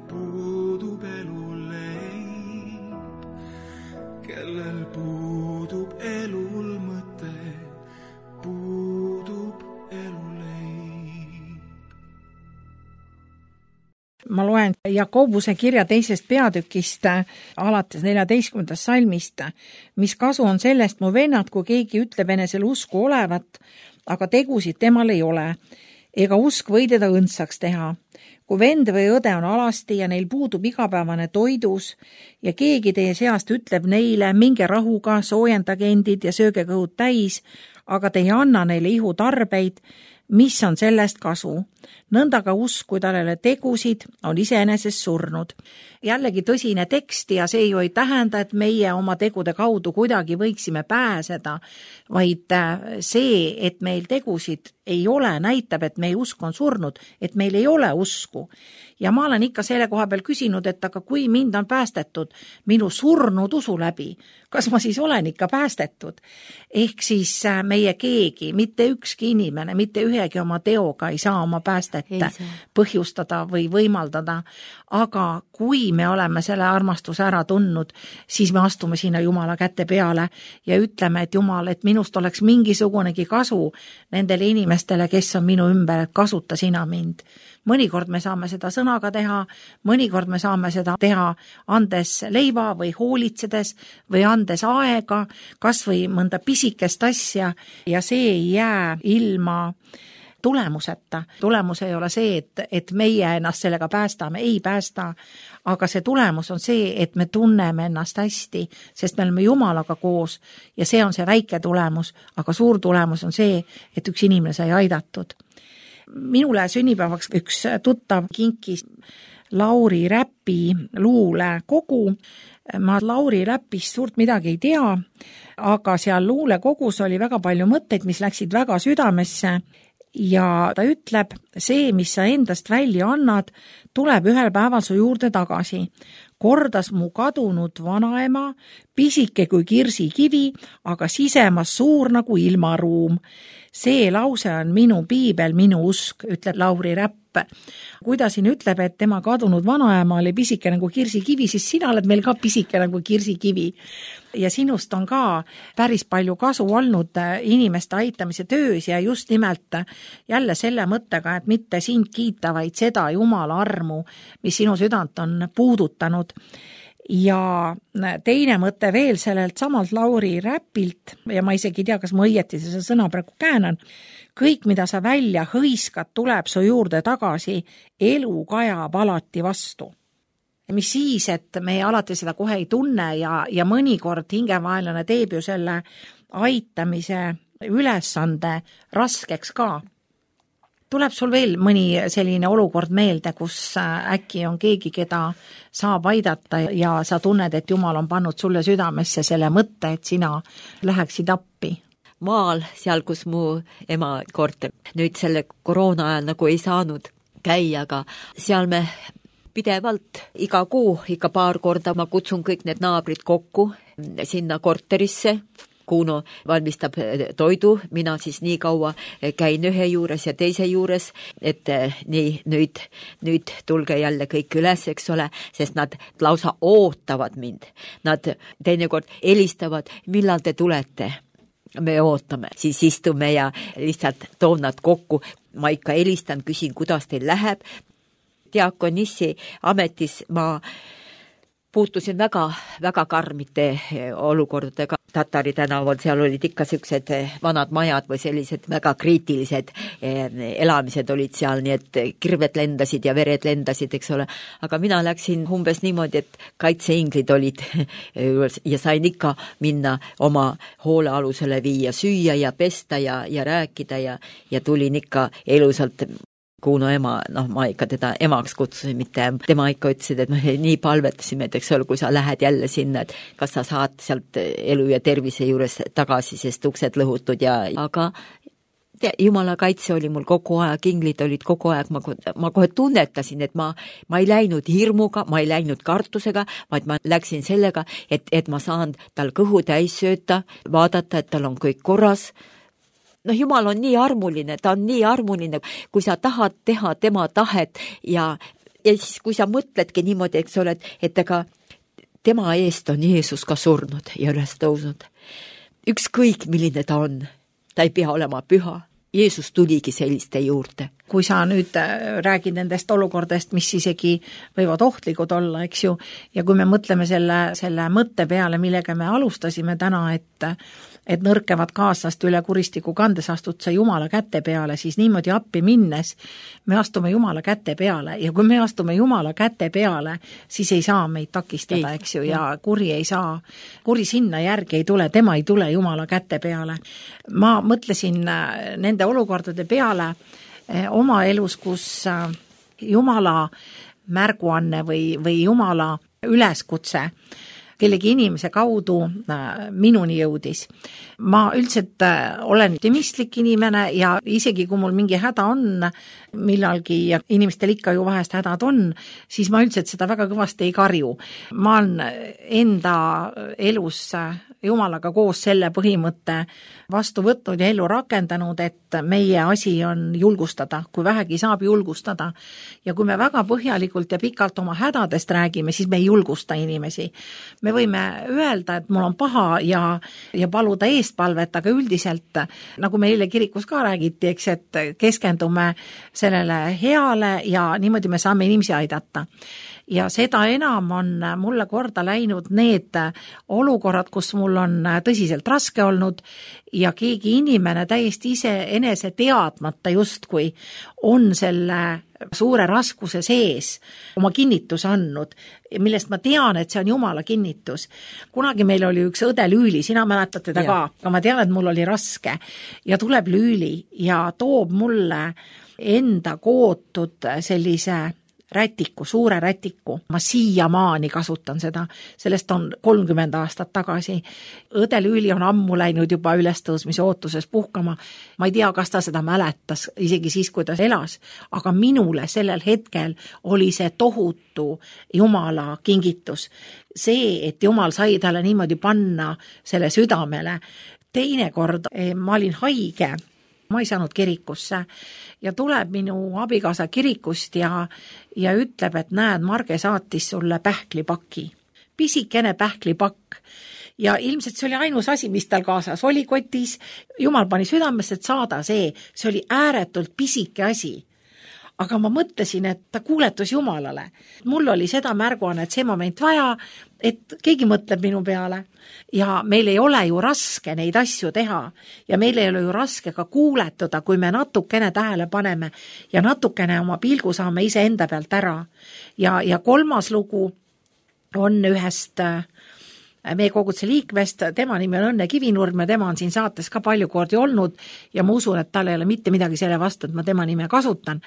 puudub elu leib. Kellel puudub elul mõte, puudub elu leib. Ma loen Jakobuse kirja 2. peatükist alates 14. salmist. Mis kasu on sellest, mu vennad, kui keegi ütleb enesel usku olevat, aga tegusid temal ei ole, ega usk või teda õndsaks teha. Kui vend või õde on alasti ja neil puudub igapäevane toidus ja keegi teie seast ütleb neile, minge rahuga, soojendage endid ja sööge kõhud täis, aga te ei anna neile ihutarbeid, mis on sellest kasu? Nõnda ka usk, kui tal ei ole tegusid, on iseenesest surnud. Jällegi tõsine tekst ja see ju ei tähenda, et meie oma tegude kaudu kuidagi võiksime pääseda, vaid see, et meil tegusid ei ole, näitab, et meie usk on surnud, et meil ei ole usku. Ja ma olen ikka selle koha peal küsinud, et aga kui mind on päästetud minu surnud usu läbi, kas ma siis olen ikka päästetud? Ehk siis meie keegi, mitte ükski inimene, mitte ühegi oma teoga ei saa oma päästet põhjustada või võimaldada, aga kui me oleme selle armastuse ära tundnud, siis me astume sinna Jumala käte peale ja ütleme, et Jumal, et minust oleks mingisugunegi kasu nendele inimestele, kes on minu ümber, et kasuta sina mind. Mõnikord me saame seda sõnaga teha, mõnikord me saame seda teha andes leiva või hoolitsedes või andes aega, kas või mõnda pisikest asja ja see ei jää ilma tulemuseta. Tulemus ei ole see, et meie ennast sellega päästame, ei päästa, aga see tulemus on see, et me tunneme ennast hästi, sest me oleme Jumalaga koos ja see on see väike tulemus, aga suur tulemus on see, et üks inimene sai aidatud. Minule sünnipäevaks üks tuttav kinkis Lauri Räpi luulekogu. Ma Lauri Räpist suurt midagi ei tea, aga seal luulekogus oli väga palju mõtteid, mis läksid väga südamesse ja ta ütleb, see, mis sa endast välja annad, tuleb ühel päeval su juurde tagasi. Kordas mu kadunud vanaema, pisike kui kirsikivi, aga sisemas suur nagu ilmaruum. See lause on minu piibel, minu usk, ütleb Lauri Räpp. Kui ta siin ütleb, et tema kadunud vanaema oli pisike nagu kirsikivi, siis sina oled meil ka pisike nagu kirsikivi. Ja sinust on ka päris palju kasu olnud inimeste aitamise töös ja just nimelt jälle selle mõttega, et mitte sind kiita, vaid seda Jumala armu, mis sinu südant on puudutanud. Ja teine mõte veel sellelt samalt Lauri Räpilt, ja ma isegi tea, kas ma õieti see sõna praegu käänan, kõik, mida sa välja hõiskad, tuleb su juurde tagasi, elu kajab alati vastu. Mis siis, et me alati seda kohe ei tunne ja mõnikord hingevaenlane teeb ju selle aitamise ülesande raskeks ka. Tuleb sul veel mõni selline olukord meelde, kus äkki on keegi, keda saab aidata ja sa tunned, et Jumal on pannud sulle südamesse selle mõtte, et sina läheksid appi? Maal, seal kus mu ema korter, nüüd selle koroona ajal nagu ei saanud käia, aga seal me pidevalt iga kuu, ikka paar korda ma kutsun kõik need naabrid kokku sinna korterisse. Kuno valmistab toidu, mina siis nii kaua käin ühe juures ja teise juures, et nii nüüd tulge jälle kõik üles, eks ole, sest nad lausa ootavad mind. Nad teinekord helistavad, millal te tulete? Me ootame, siis istume ja lihtsalt toon nad kokku. Ma ikka helistan, küsin, kuidas teil läheb. Diakonissi ametis ma puutusin väga karmide olukordadega. Tatari tänaval, seal olid ikka sellised vanad majad või sellised väga kriitilised elamised olid seal, nii et kirved lendasid ja vered lendasid, eks ole. Aga mina läksin umbes niimoodi, et kaitseinglid olid ja sain ikka minna oma hoolealusele viia süüa ja pesta ja rääkida ja tulin ikka elusalt. Kuno ema, ma ikka teda emaks kutsusin, mitte tema ikka ütlesid, et nii palvetasime, et eks ole, kui sa lähed jälle sinna, et kas sa saad sealt elu ja tervise juures tagasi, sest uksed lõhutud aga Jumala kaitse oli mul kogu aeg, inglid olid kogu aeg, ma kohe tunnetasin, et ma ei läinud hirmuga, ma ei läinud kartusega, vaid ma läksin sellega, et ma saan tal kõhu täis sööta, vaadata, et tal on kõik korras. Jumal on nii armuline, ta on nii armuline, kui sa tahad teha tema tahet ja siis kui sa mõtledki niimoodi, eks ole, et ega tema eest on Jeesus ka surnud ja üles tõusnud. Ükskõik, milline ta on, ta ei pea olema püha. Jeesus tuligi selliste juurde. Kui sa nüüd räägid nendest olukordest, mis isegi võivad ohtlikud olla, eks ju, ja kui me mõtleme selle mõtte peale, millega me alustasime täna, et nõrkevad kaaslast üle kuristiku kandes astud sa Jumala käte peale, siis niimoodi appi minnes me astume Jumala käte peale ja kui me astume Jumala käte peale, siis ei saa meid takistada, eks ju, ja kuri sinna järgi ei tule, tema ei tule Jumala käte peale. Ma mõtlesin nende olukordade peale oma elus, kus Jumala märguanne või Jumala üleskutse kellegi inimese kaudu minuni jõudis. Ma üldiselt olen optimistlik inimene ja isegi kui mul mingi häda on millalgi ja inimestel ikka ju vahest hädad on, siis ma üldiselt seda väga kõvasti ei karju. Ma olen enda elus Jumalaga koos selle põhimõtte vastu võtnud ja ellu rakendanud, et meie asi on julgustada, kui vähegi saab julgustada. Ja kui me väga põhjalikult ja pikalt oma hädadest räägime, siis me ei julgusta inimesi. Me võime öelda, et mul on paha ja paluda eestpalvet, aga üldiselt, nagu meile kirikus ka räägiti, eks, et keskendume sellele heale ja niimoodi me saame inimesi aidata. Ja seda enam on mulle korda läinud need olukorrad, kus mul on tõsiselt raske olnud ja keegi inimene täiesti ise enese teadmata justkui on selle suure raskuse sees oma kinnituse andnud, millest ma tean, et see on Jumala kinnitus. Kunagi meil oli üks õde Lüüli, sina mäletad teda ka, aga ma tean, et mul oli raske ja tuleb Lüüli ja toob mulle enda kootud sellise rätiku, suure rätiku. Ma siiamaani kasutan seda, sellest on 30 aastat tagasi. Õde Lüüli on ammu läinud juba ülestõusmise ootuses puhkama. Ma ei tea, kas ta seda mäletas, isegi siis, kui ta elas, aga minule sellel hetkel oli see tohutu Jumala kingitus. See, et Jumal sai talle niimoodi panna selle südamele. Teinekord ma olin haige, ma ei saanud kirikusse ja tuleb minu abikaasa kirikust ja ütleb, et näed, Marge saatis sulle pähklipaki. Pisikene pähklipakk. Ja ilmselt see oli ainus asi, mis tal kaasas oli kotis. Jumal pani südamesse, et saada see oli ääretult pisike asi. Aga ma mõtlesin, et ta kuuletus Jumalale. Mul oli seda märguanne, et see moment vaja, et keegi mõtleb minu peale. Ja meil ei ole ju raske neid asju teha ja meil ei ole ju raske ka kuuletuda, kui me natukene tähele paneme ja natukene oma pilgu saame ise enda pealt ära. Ja kolmas lugu on ühest meie koguduse liikmest, tema nimi on Õnne Kivinurm ja tema on siin saates ka palju kordi olnud ja ma usun, et tal ei ole mitte midagi selle vastu, et ma tema nime kasutan.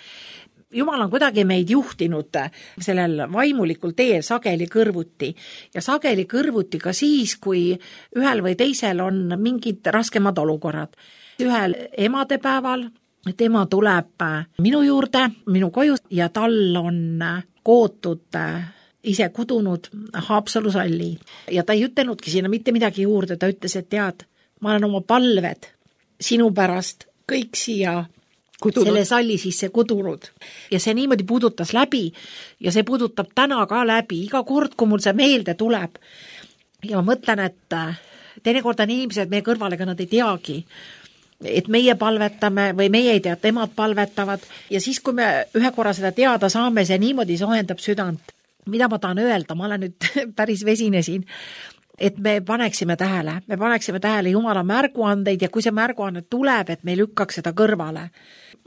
Jumal on kuidagi meid juhtinud sellel vaimulikul teel sageli kõrvuti ja sageli kõrvuti ka siis, kui ühel või teisel on mingid raskemad olukorrad. Ühel emadepäeval tema tuleb minu juurde, minu koju ja tal on kootud ise kudunud Haapsalu salli ja ta ei ütelnudki sinna mitte midagi juurde, ta ütles, et tead, ma olen oma palved sinu pärast kõik siia selle salli sisse kudunud. Ja see niimoodi puudutas läbi ja see puudutab täna ka läbi, iga kord, kui mul see meelde tuleb. Ja ma mõtlen, et teinekord on inimesed meie kõrvale, aga nad ei teagi, et meie palvetame või meie ei tea, temad palvetavad ja siis, kui me ühe korra seda teada saame, see niimoodi soojendab südant. mida ma tahan öelda, ma olen nüüd päris vesine siin, et me paneksime tähele Jumala märguandeid ja kui see märguanne tuleb, et me ei lükkaks seda kõrvale.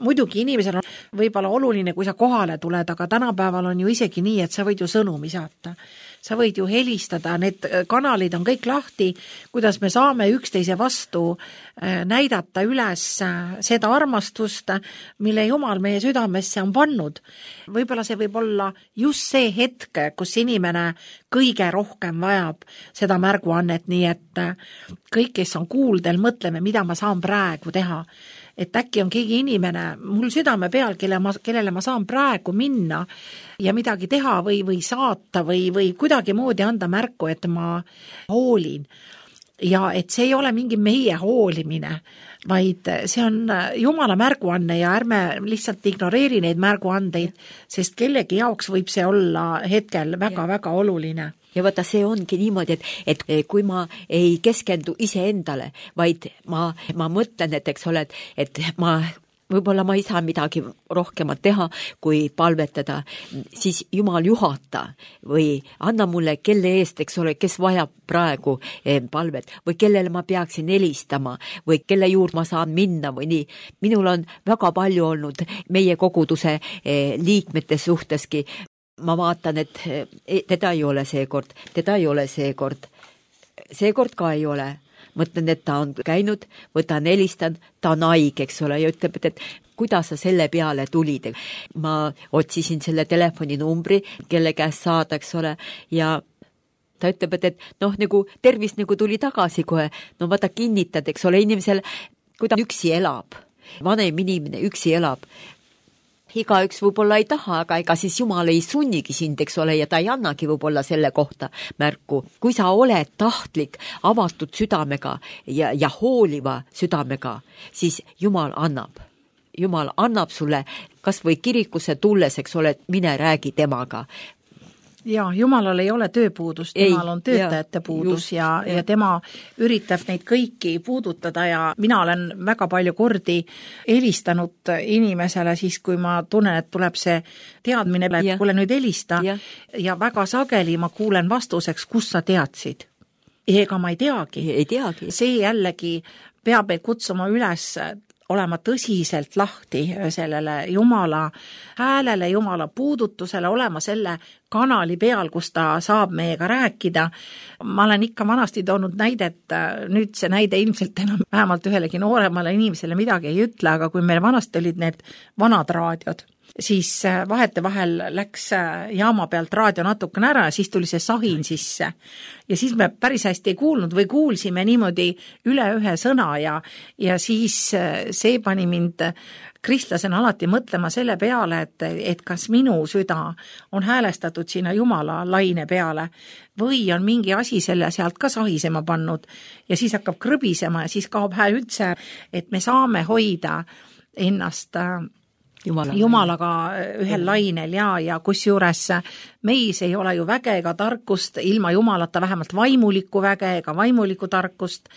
Muidugi inimesel on võib-olla oluline, kui sa kohale tuled, aga tänapäeval on ju isegi nii, et sa võid ju sõnumi saata. Sa võid ju helistada, need kanalid on kõik lahti, kuidas me saame üksteise vastu näidata üles seda armastust, mille Jumal meie südamesse on pannud. Võib-olla see võib olla just see hetk, kus inimene kõige rohkem vajab seda märguannet, nii et kõik, kes on kuuldel, mõtleme, mida ma saan praegu teha. Et äkki on keegi inimene mul südame peal, kellele ma saan praegu minna ja midagi teha või saata või kuidagi moodi anda märku, et ma hoolin. Ja et see ei ole mingi meie hoolimine, vaid see on Jumala märguanne ja ärme lihtsalt ignoreeri neid märguandeid, sest kellegi jaoks võib see olla hetkel väga-väga oluline. Ja vaata, see ongi niimoodi, et kui ma ei keskendu iseendale, vaid ma mõtlen, et eks ole, et võib-olla ma ei saa midagi rohkemat teha, kui palvetada, siis Jumal juhata või anna mulle kelle eest, eks ole, kes vajab praegu palvet või kellele ma peaksin helistama või kelle juurde ma saan minna või nii. Minul on väga palju olnud meie koguduse liikmete suhteski. Ma vaatan, et teda ei ole seekord ka ei ole. Mõtlen, et ta on käinud, võtan helistan, ta on haige, eks ole, ja ütleb, et kuidas sa selle peale tulid. Ma otsisin selle telefoninumbri, kelle käest saada, eks ole, ja ta ütleb, et nagu tervis nagu tuli tagasi kohe. No vaata kinnitad, eks ole, inimesel, kui ta üksi elab, vanem inimene üksi elab, igaüks võib-olla ei taha, aga ega siis Jumal ei sunnigi sind, eks ole, ja ta ei annagi võib-olla selle kohta märku. Kui sa oled tahtlik, avatud südamega ja hooliva südamega, siis Jumal annab sulle kas või kirikusse tulles, eks ole, mine räägi temaga. Ja, Jumalal ei ole tööpuudust, Jumal on töötajate puudus ja tema üritab neid kõiki puudutada ja mina olen väga palju kordi helistanud inimesele siis, kui ma tunnen, et tuleb see teadmine, et kuule nüüd helista ja väga sageli ma kuulen vastuseks, kus sa teadsid. Ega ma ei teagi. See jällegi peab meid kutsuma üles olema tõsiselt lahti sellele Jumala häälele, Jumala puudutusele, olema selle kanali peal, kus ta saab meiega rääkida. Ma olen ikka vanasti toonud näidet, nüüd see näide ilmselt enam vähemalt ühelegi nooremale inimesele midagi ei ütle, aga kui meil vanasti olid need vanad raadiod, siis vahetevahel läks jaama pealt raadio natukene ära ja siis tuli see sahin sisse. Ja siis me päris hästi ei kuulnud või kuulsime niimoodi üle ühe sõna ja siis see pani mind kristlasena alati mõtlema selle peale, et kas minu süda on häälestatud sinna Jumala laine peale või on mingi asi selle sealt ka sahisema pannud ja siis hakkab krõbisema ja siis kaob hääl üldse, et me saame hoida ennast Jumalaga ühel lainel ja kusjuures meis ei ole ju väge ega tarkust, ilma Jumalata vähemalt vaimulikku väge ega vaimulikku tarkust,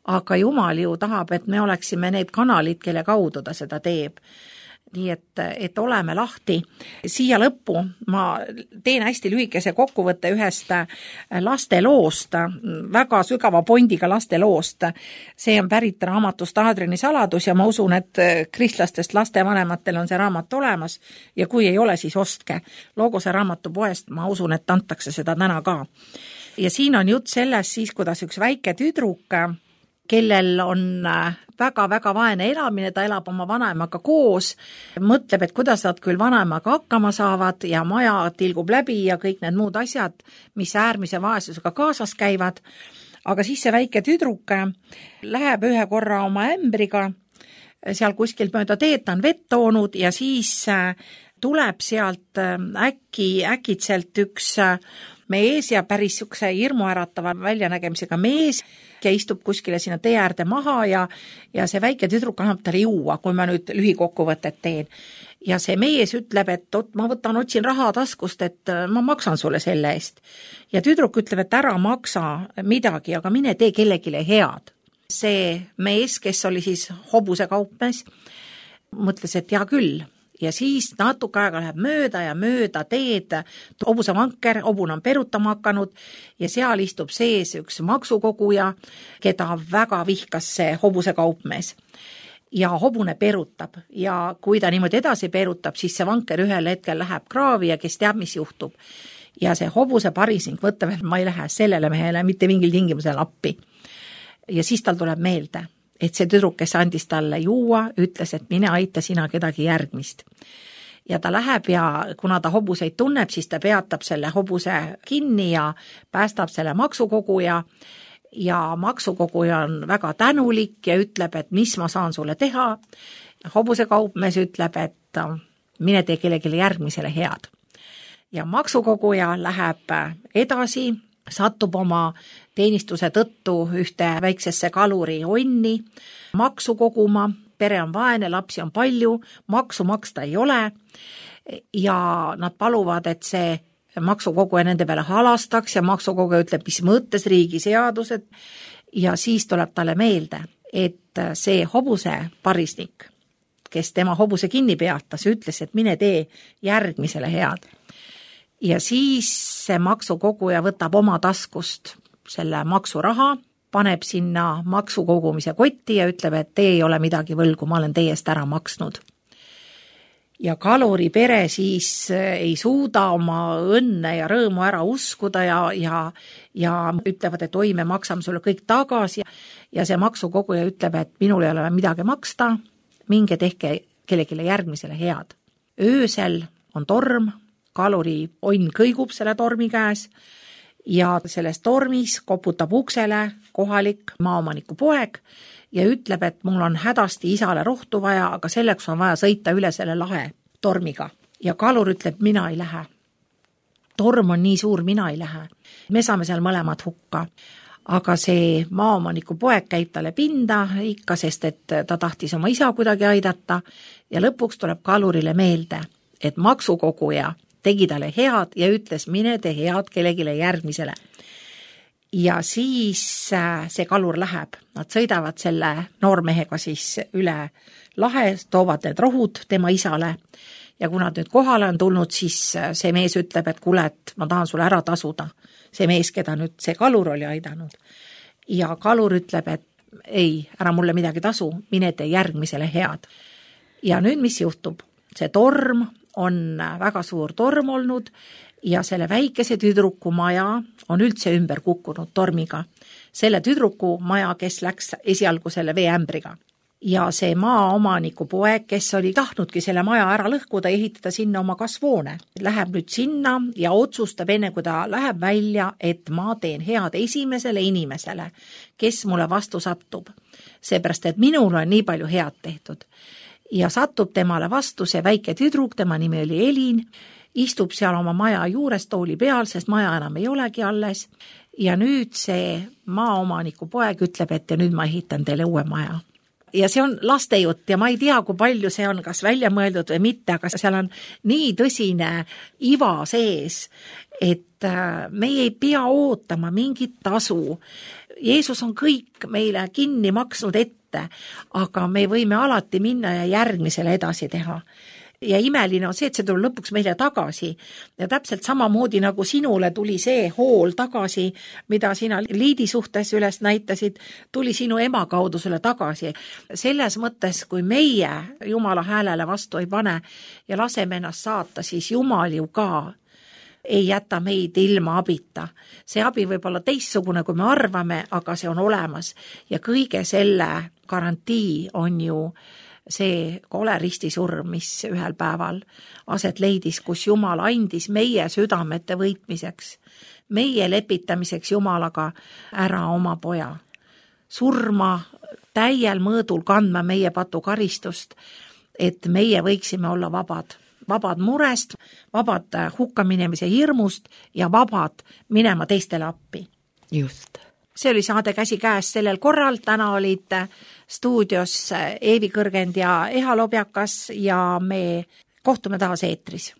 aga Jumal ju tahab, et me oleksime need kanalid, kelle kaudu ta seda teeb. Nii et oleme lahti. Siia lõppu ma teen hästi lühikese kokkuvõtte ühest lasteloost, väga sügava pondiga lasteloost. See on pärit raamatust Aadriani saladus ja ma usun, et kristlastest lastevanematel on see raamat olemas ja kui ei ole, siis ostke. Logose raamatupoest ma usun, et antakse seda täna ka. Ja siin on jutt sellest siis, kuidas üks väike tüdruk, kellel on väga-väga vaene elamine, ta elab oma vanaemaga koos, mõtleb, et kuidas nad küll vanaemaga hakkama saavad ja maja tilgub läbi ja kõik need muud asjad, mis äärmise vaesusega kaasas käivad. Aga siis see väike tüdruk läheb ühe korra oma ämbriga, seal kuskil mööda teed ta on vett toonud ja siis tuleb sealt äkitselt üks mees ja päris sükse hirmuäratava väljanägemisega mees ja istub kuskile sinna tee äärde maha ja see väike tüdruk annab talle juua, kui ma nüüd lühikokkuvõtet teen. Ja see mees ütleb, et ma otsin raha taskust, et ma maksan sulle selle eest. Ja tüdruk ütleb, et ära maksa midagi, aga mine tee kellegile head. See mees, kes oli siis hobuse kaupmees, mõtles, et hea küll, ja siis natuke aega läheb mööda ja mööda teed hobusevanker, hobune on perutama hakanud ja seal istub sees üks maksukoguja, keda väga vihkas see hobuse kaupmees. Ja hobune perutab ja kui ta niimoodi edasi perutab, siis see vanker ühel hetkel läheb kraavi ja kes teab, mis juhtub. Ja see hobuse parisnik mõtleb, et ma ei lähe sellele mehele mitte mingil tingimusel appi. Ja siis tal tuleb meelde, et see tüdruk, kes andis talle juua, ütles, et mine aita sina kedagi järgmist. Ja ta läheb ja kuna ta hobuseid tunneb, siis ta peatab selle hobuse kinni ja päästab selle maksukoguja. Ja maksukoguja on väga tänulik ja ütleb, et mis ma saan sulle teha. Hobuse kaupmees ütleb, et mine tee kellelegi järgmisele head. Ja maksukoguja läheb edasi, satub oma teenistuse tõttu ühte väiksesse kaluri onni, maksu koguma, pere on vaene, lapsi on palju, maksu maksta ei ole ja nad paluvad, et see maksukoguja nende peale halastaks ja maksukoguja ütleb, mis mõttes riigi seadused ja siis tuleb talle meelde, et see hobuse parisnik, kes tema hobuse kinni peatas, ütles, et mine tee järgmisele head. Ja siis see maksukoguja võtab oma taskust selle maksuraha, paneb sinna maksukogumise kotti ja ütleb, et te ei ole midagi võlgu, ma olen teie eest ära maksnud. Ja kaluri pere siis ei suuda oma õnne ja rõõmu ära uskuda ja ütlevad, et oi, me maksame sulle kõik tagasi ja see maksukoguja ütleb, et minul ei ole midagi maksta, minge tehke kellelegi järgmisele head. Öösel on torm, kaluri onn kõigub selle tormi käes ja selles tormis koputab uksele kohalik maaomaniku poeg ja ütleb, et mul on hädasti isale rohtu vaja, aga selleks on vaja sõita üle selle lahe tormiga. Ja kalur ütleb, mina ei lähe. Torm on nii suur, mina ei lähe. Me saame seal mõlemad hukka. Aga see maaomaniku poeg käib talle pinda ikka, sest et ta tahtis oma isa kuidagi aidata ja lõpuks tuleb kalurile meelde, et maksukoguja tegi talle head ja ütles, mine tee head kellegile järgmisele. Ja siis see kalur läheb, nad sõidavad selle noormehega siis üle lahe, toovad need rohud tema isale ja kui nad nüüd kohale on tulnud, siis see mees ütleb, et kuule, et ma tahan sulle ära tasuda. See mees, keda nüüd see kalur oli aidanud. Ja kalur ütleb, et ei, ära mulle midagi tasu, mine tee järgmisele head. Ja nüüd mis juhtub? See torm on väga suur torm olnud ja selle väikese tüdruku maja on üldse ümber kukkunud tormiga. Selle tüdruku maja, kes läks esialgu selle veeämbriga. Ja see maaomaniku poeg, kes oli tahtnudki selle maja ära lõhkuda ja ehitada sinna oma kasvuhoone, läheb nüüd sinna ja otsustab enne, kui ta läheb välja, et ma teen head esimesele inimesele, kes mulle vastu satub. Seepärast, et minul on nii palju head tehtud. Ja satub temale vastu see väike tüdruk, tema nimi oli Elin, istub seal oma maja juures tooli peal, sest maja enam ei olegi alles. Ja nüüd see maaomaniku poeg ütleb, et ja nüüd ma ehitan teile uue maja. Ja see on lastejutt ja ma ei tea, kui palju see on kas välja mõeldud või mitte, aga seal on nii tõsine iva sees, et me ei pea ootama mingit tasu. Jeesus on kõik meile kinni maksnud ette, aga me võime alati minna ja järgmisele edasi teha. Ja imeline on see, et see tuleb lõpuks meile tagasi. Ja täpselt samamoodi nagu sinule tuli see hool tagasi, mida sina Liidi suhtes üles näitasid, tuli sinu ema kaudu sulle tagasi. Selles mõttes, kui meie Jumala häälele vastu ei pane ja laseme ennast saata, siis Jumal ju ka ei jäta meid ilma abita. See abi võib olla teistsugune, kui me arvame, aga see on olemas. Ja kõige selle garantii on ju see kole ristisurm, mis ühel päeval aset leidis, kus Jumal andis meie südamete võitmiseks, meie lepitamiseks Jumalaga ära oma poja. Surma täiel mõõdul kandma meie patukaristust, et meie võiksime olla vabad. Vabad murest, vabad hukkaminemise hirmust ja vabad minema teistele appi. Just. See oli saade Käsikäes sellel korral, täna olid stuudios Eevi Kõrgend ja Eha Lobjakas ja me kohtume taas eetris.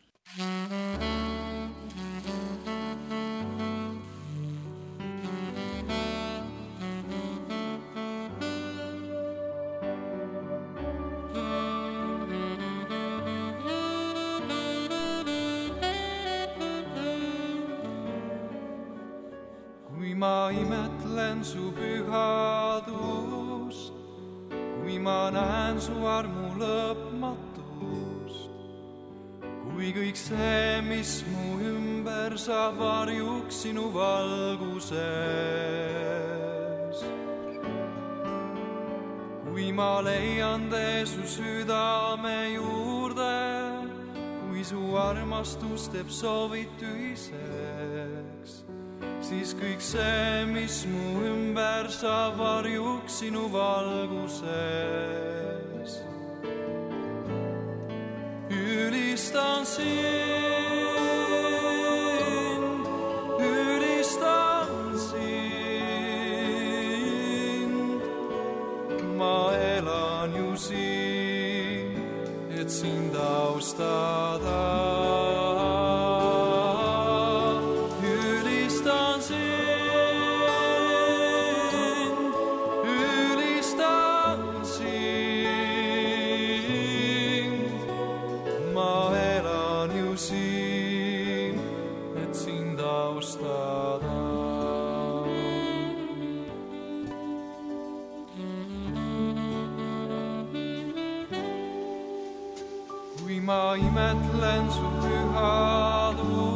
ma imetlen su pühadust, kui ma näen su armu lõpmatust, kui kõik see, mis mu ümber saab varjuks sinu valguses. Kui ma leian tee su südame juurde, kui su armastus teeb soovid tühiseks, siis kõik see, mis mu ümber saab varjuks sinu valguses. Ülistan sind, ülistan sind. Ma elan ju siin, et sind austada. Ülistan sind, ülistan sind. Ma elan ju siin, et sind austada. Kui ma imetlen su pühadust,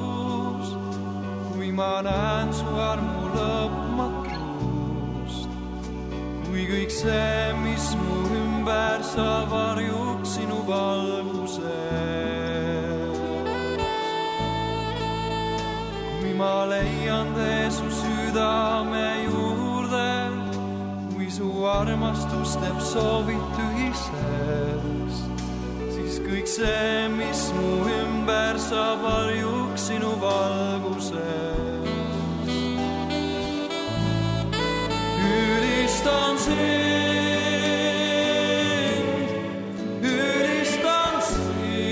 kui ma näen su armu lõpmatust, kui kõik see, mis mu ümber saab varjuks sinu valguses. Kui ma leian tee su südame juurde, kui su armastus teeb soovid tühiseks, kõik see, mis mu ümber saab varjuks sinu valguses. Ülistan sind, ülistan sind.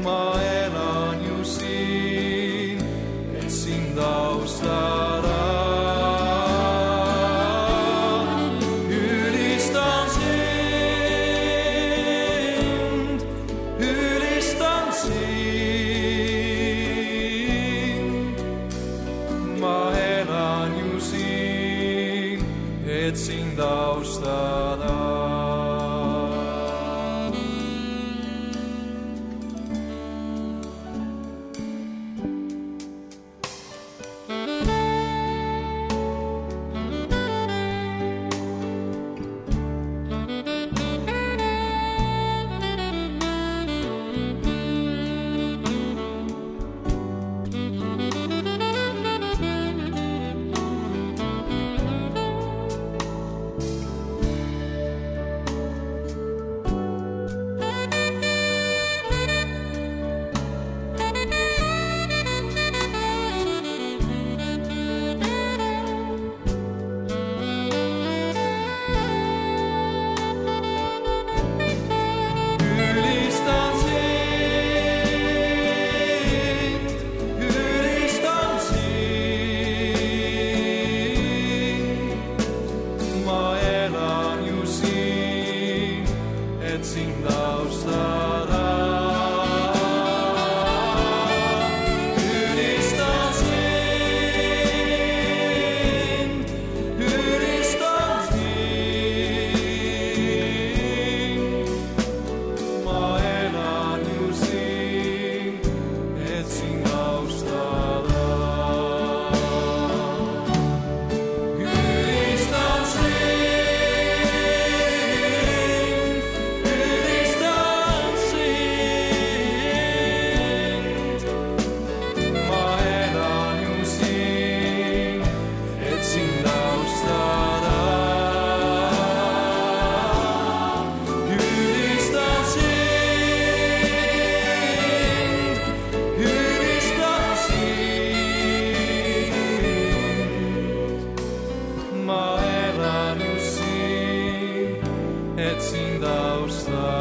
Ma elan ju siin, et sind austada. Et sind austada. et sind austada.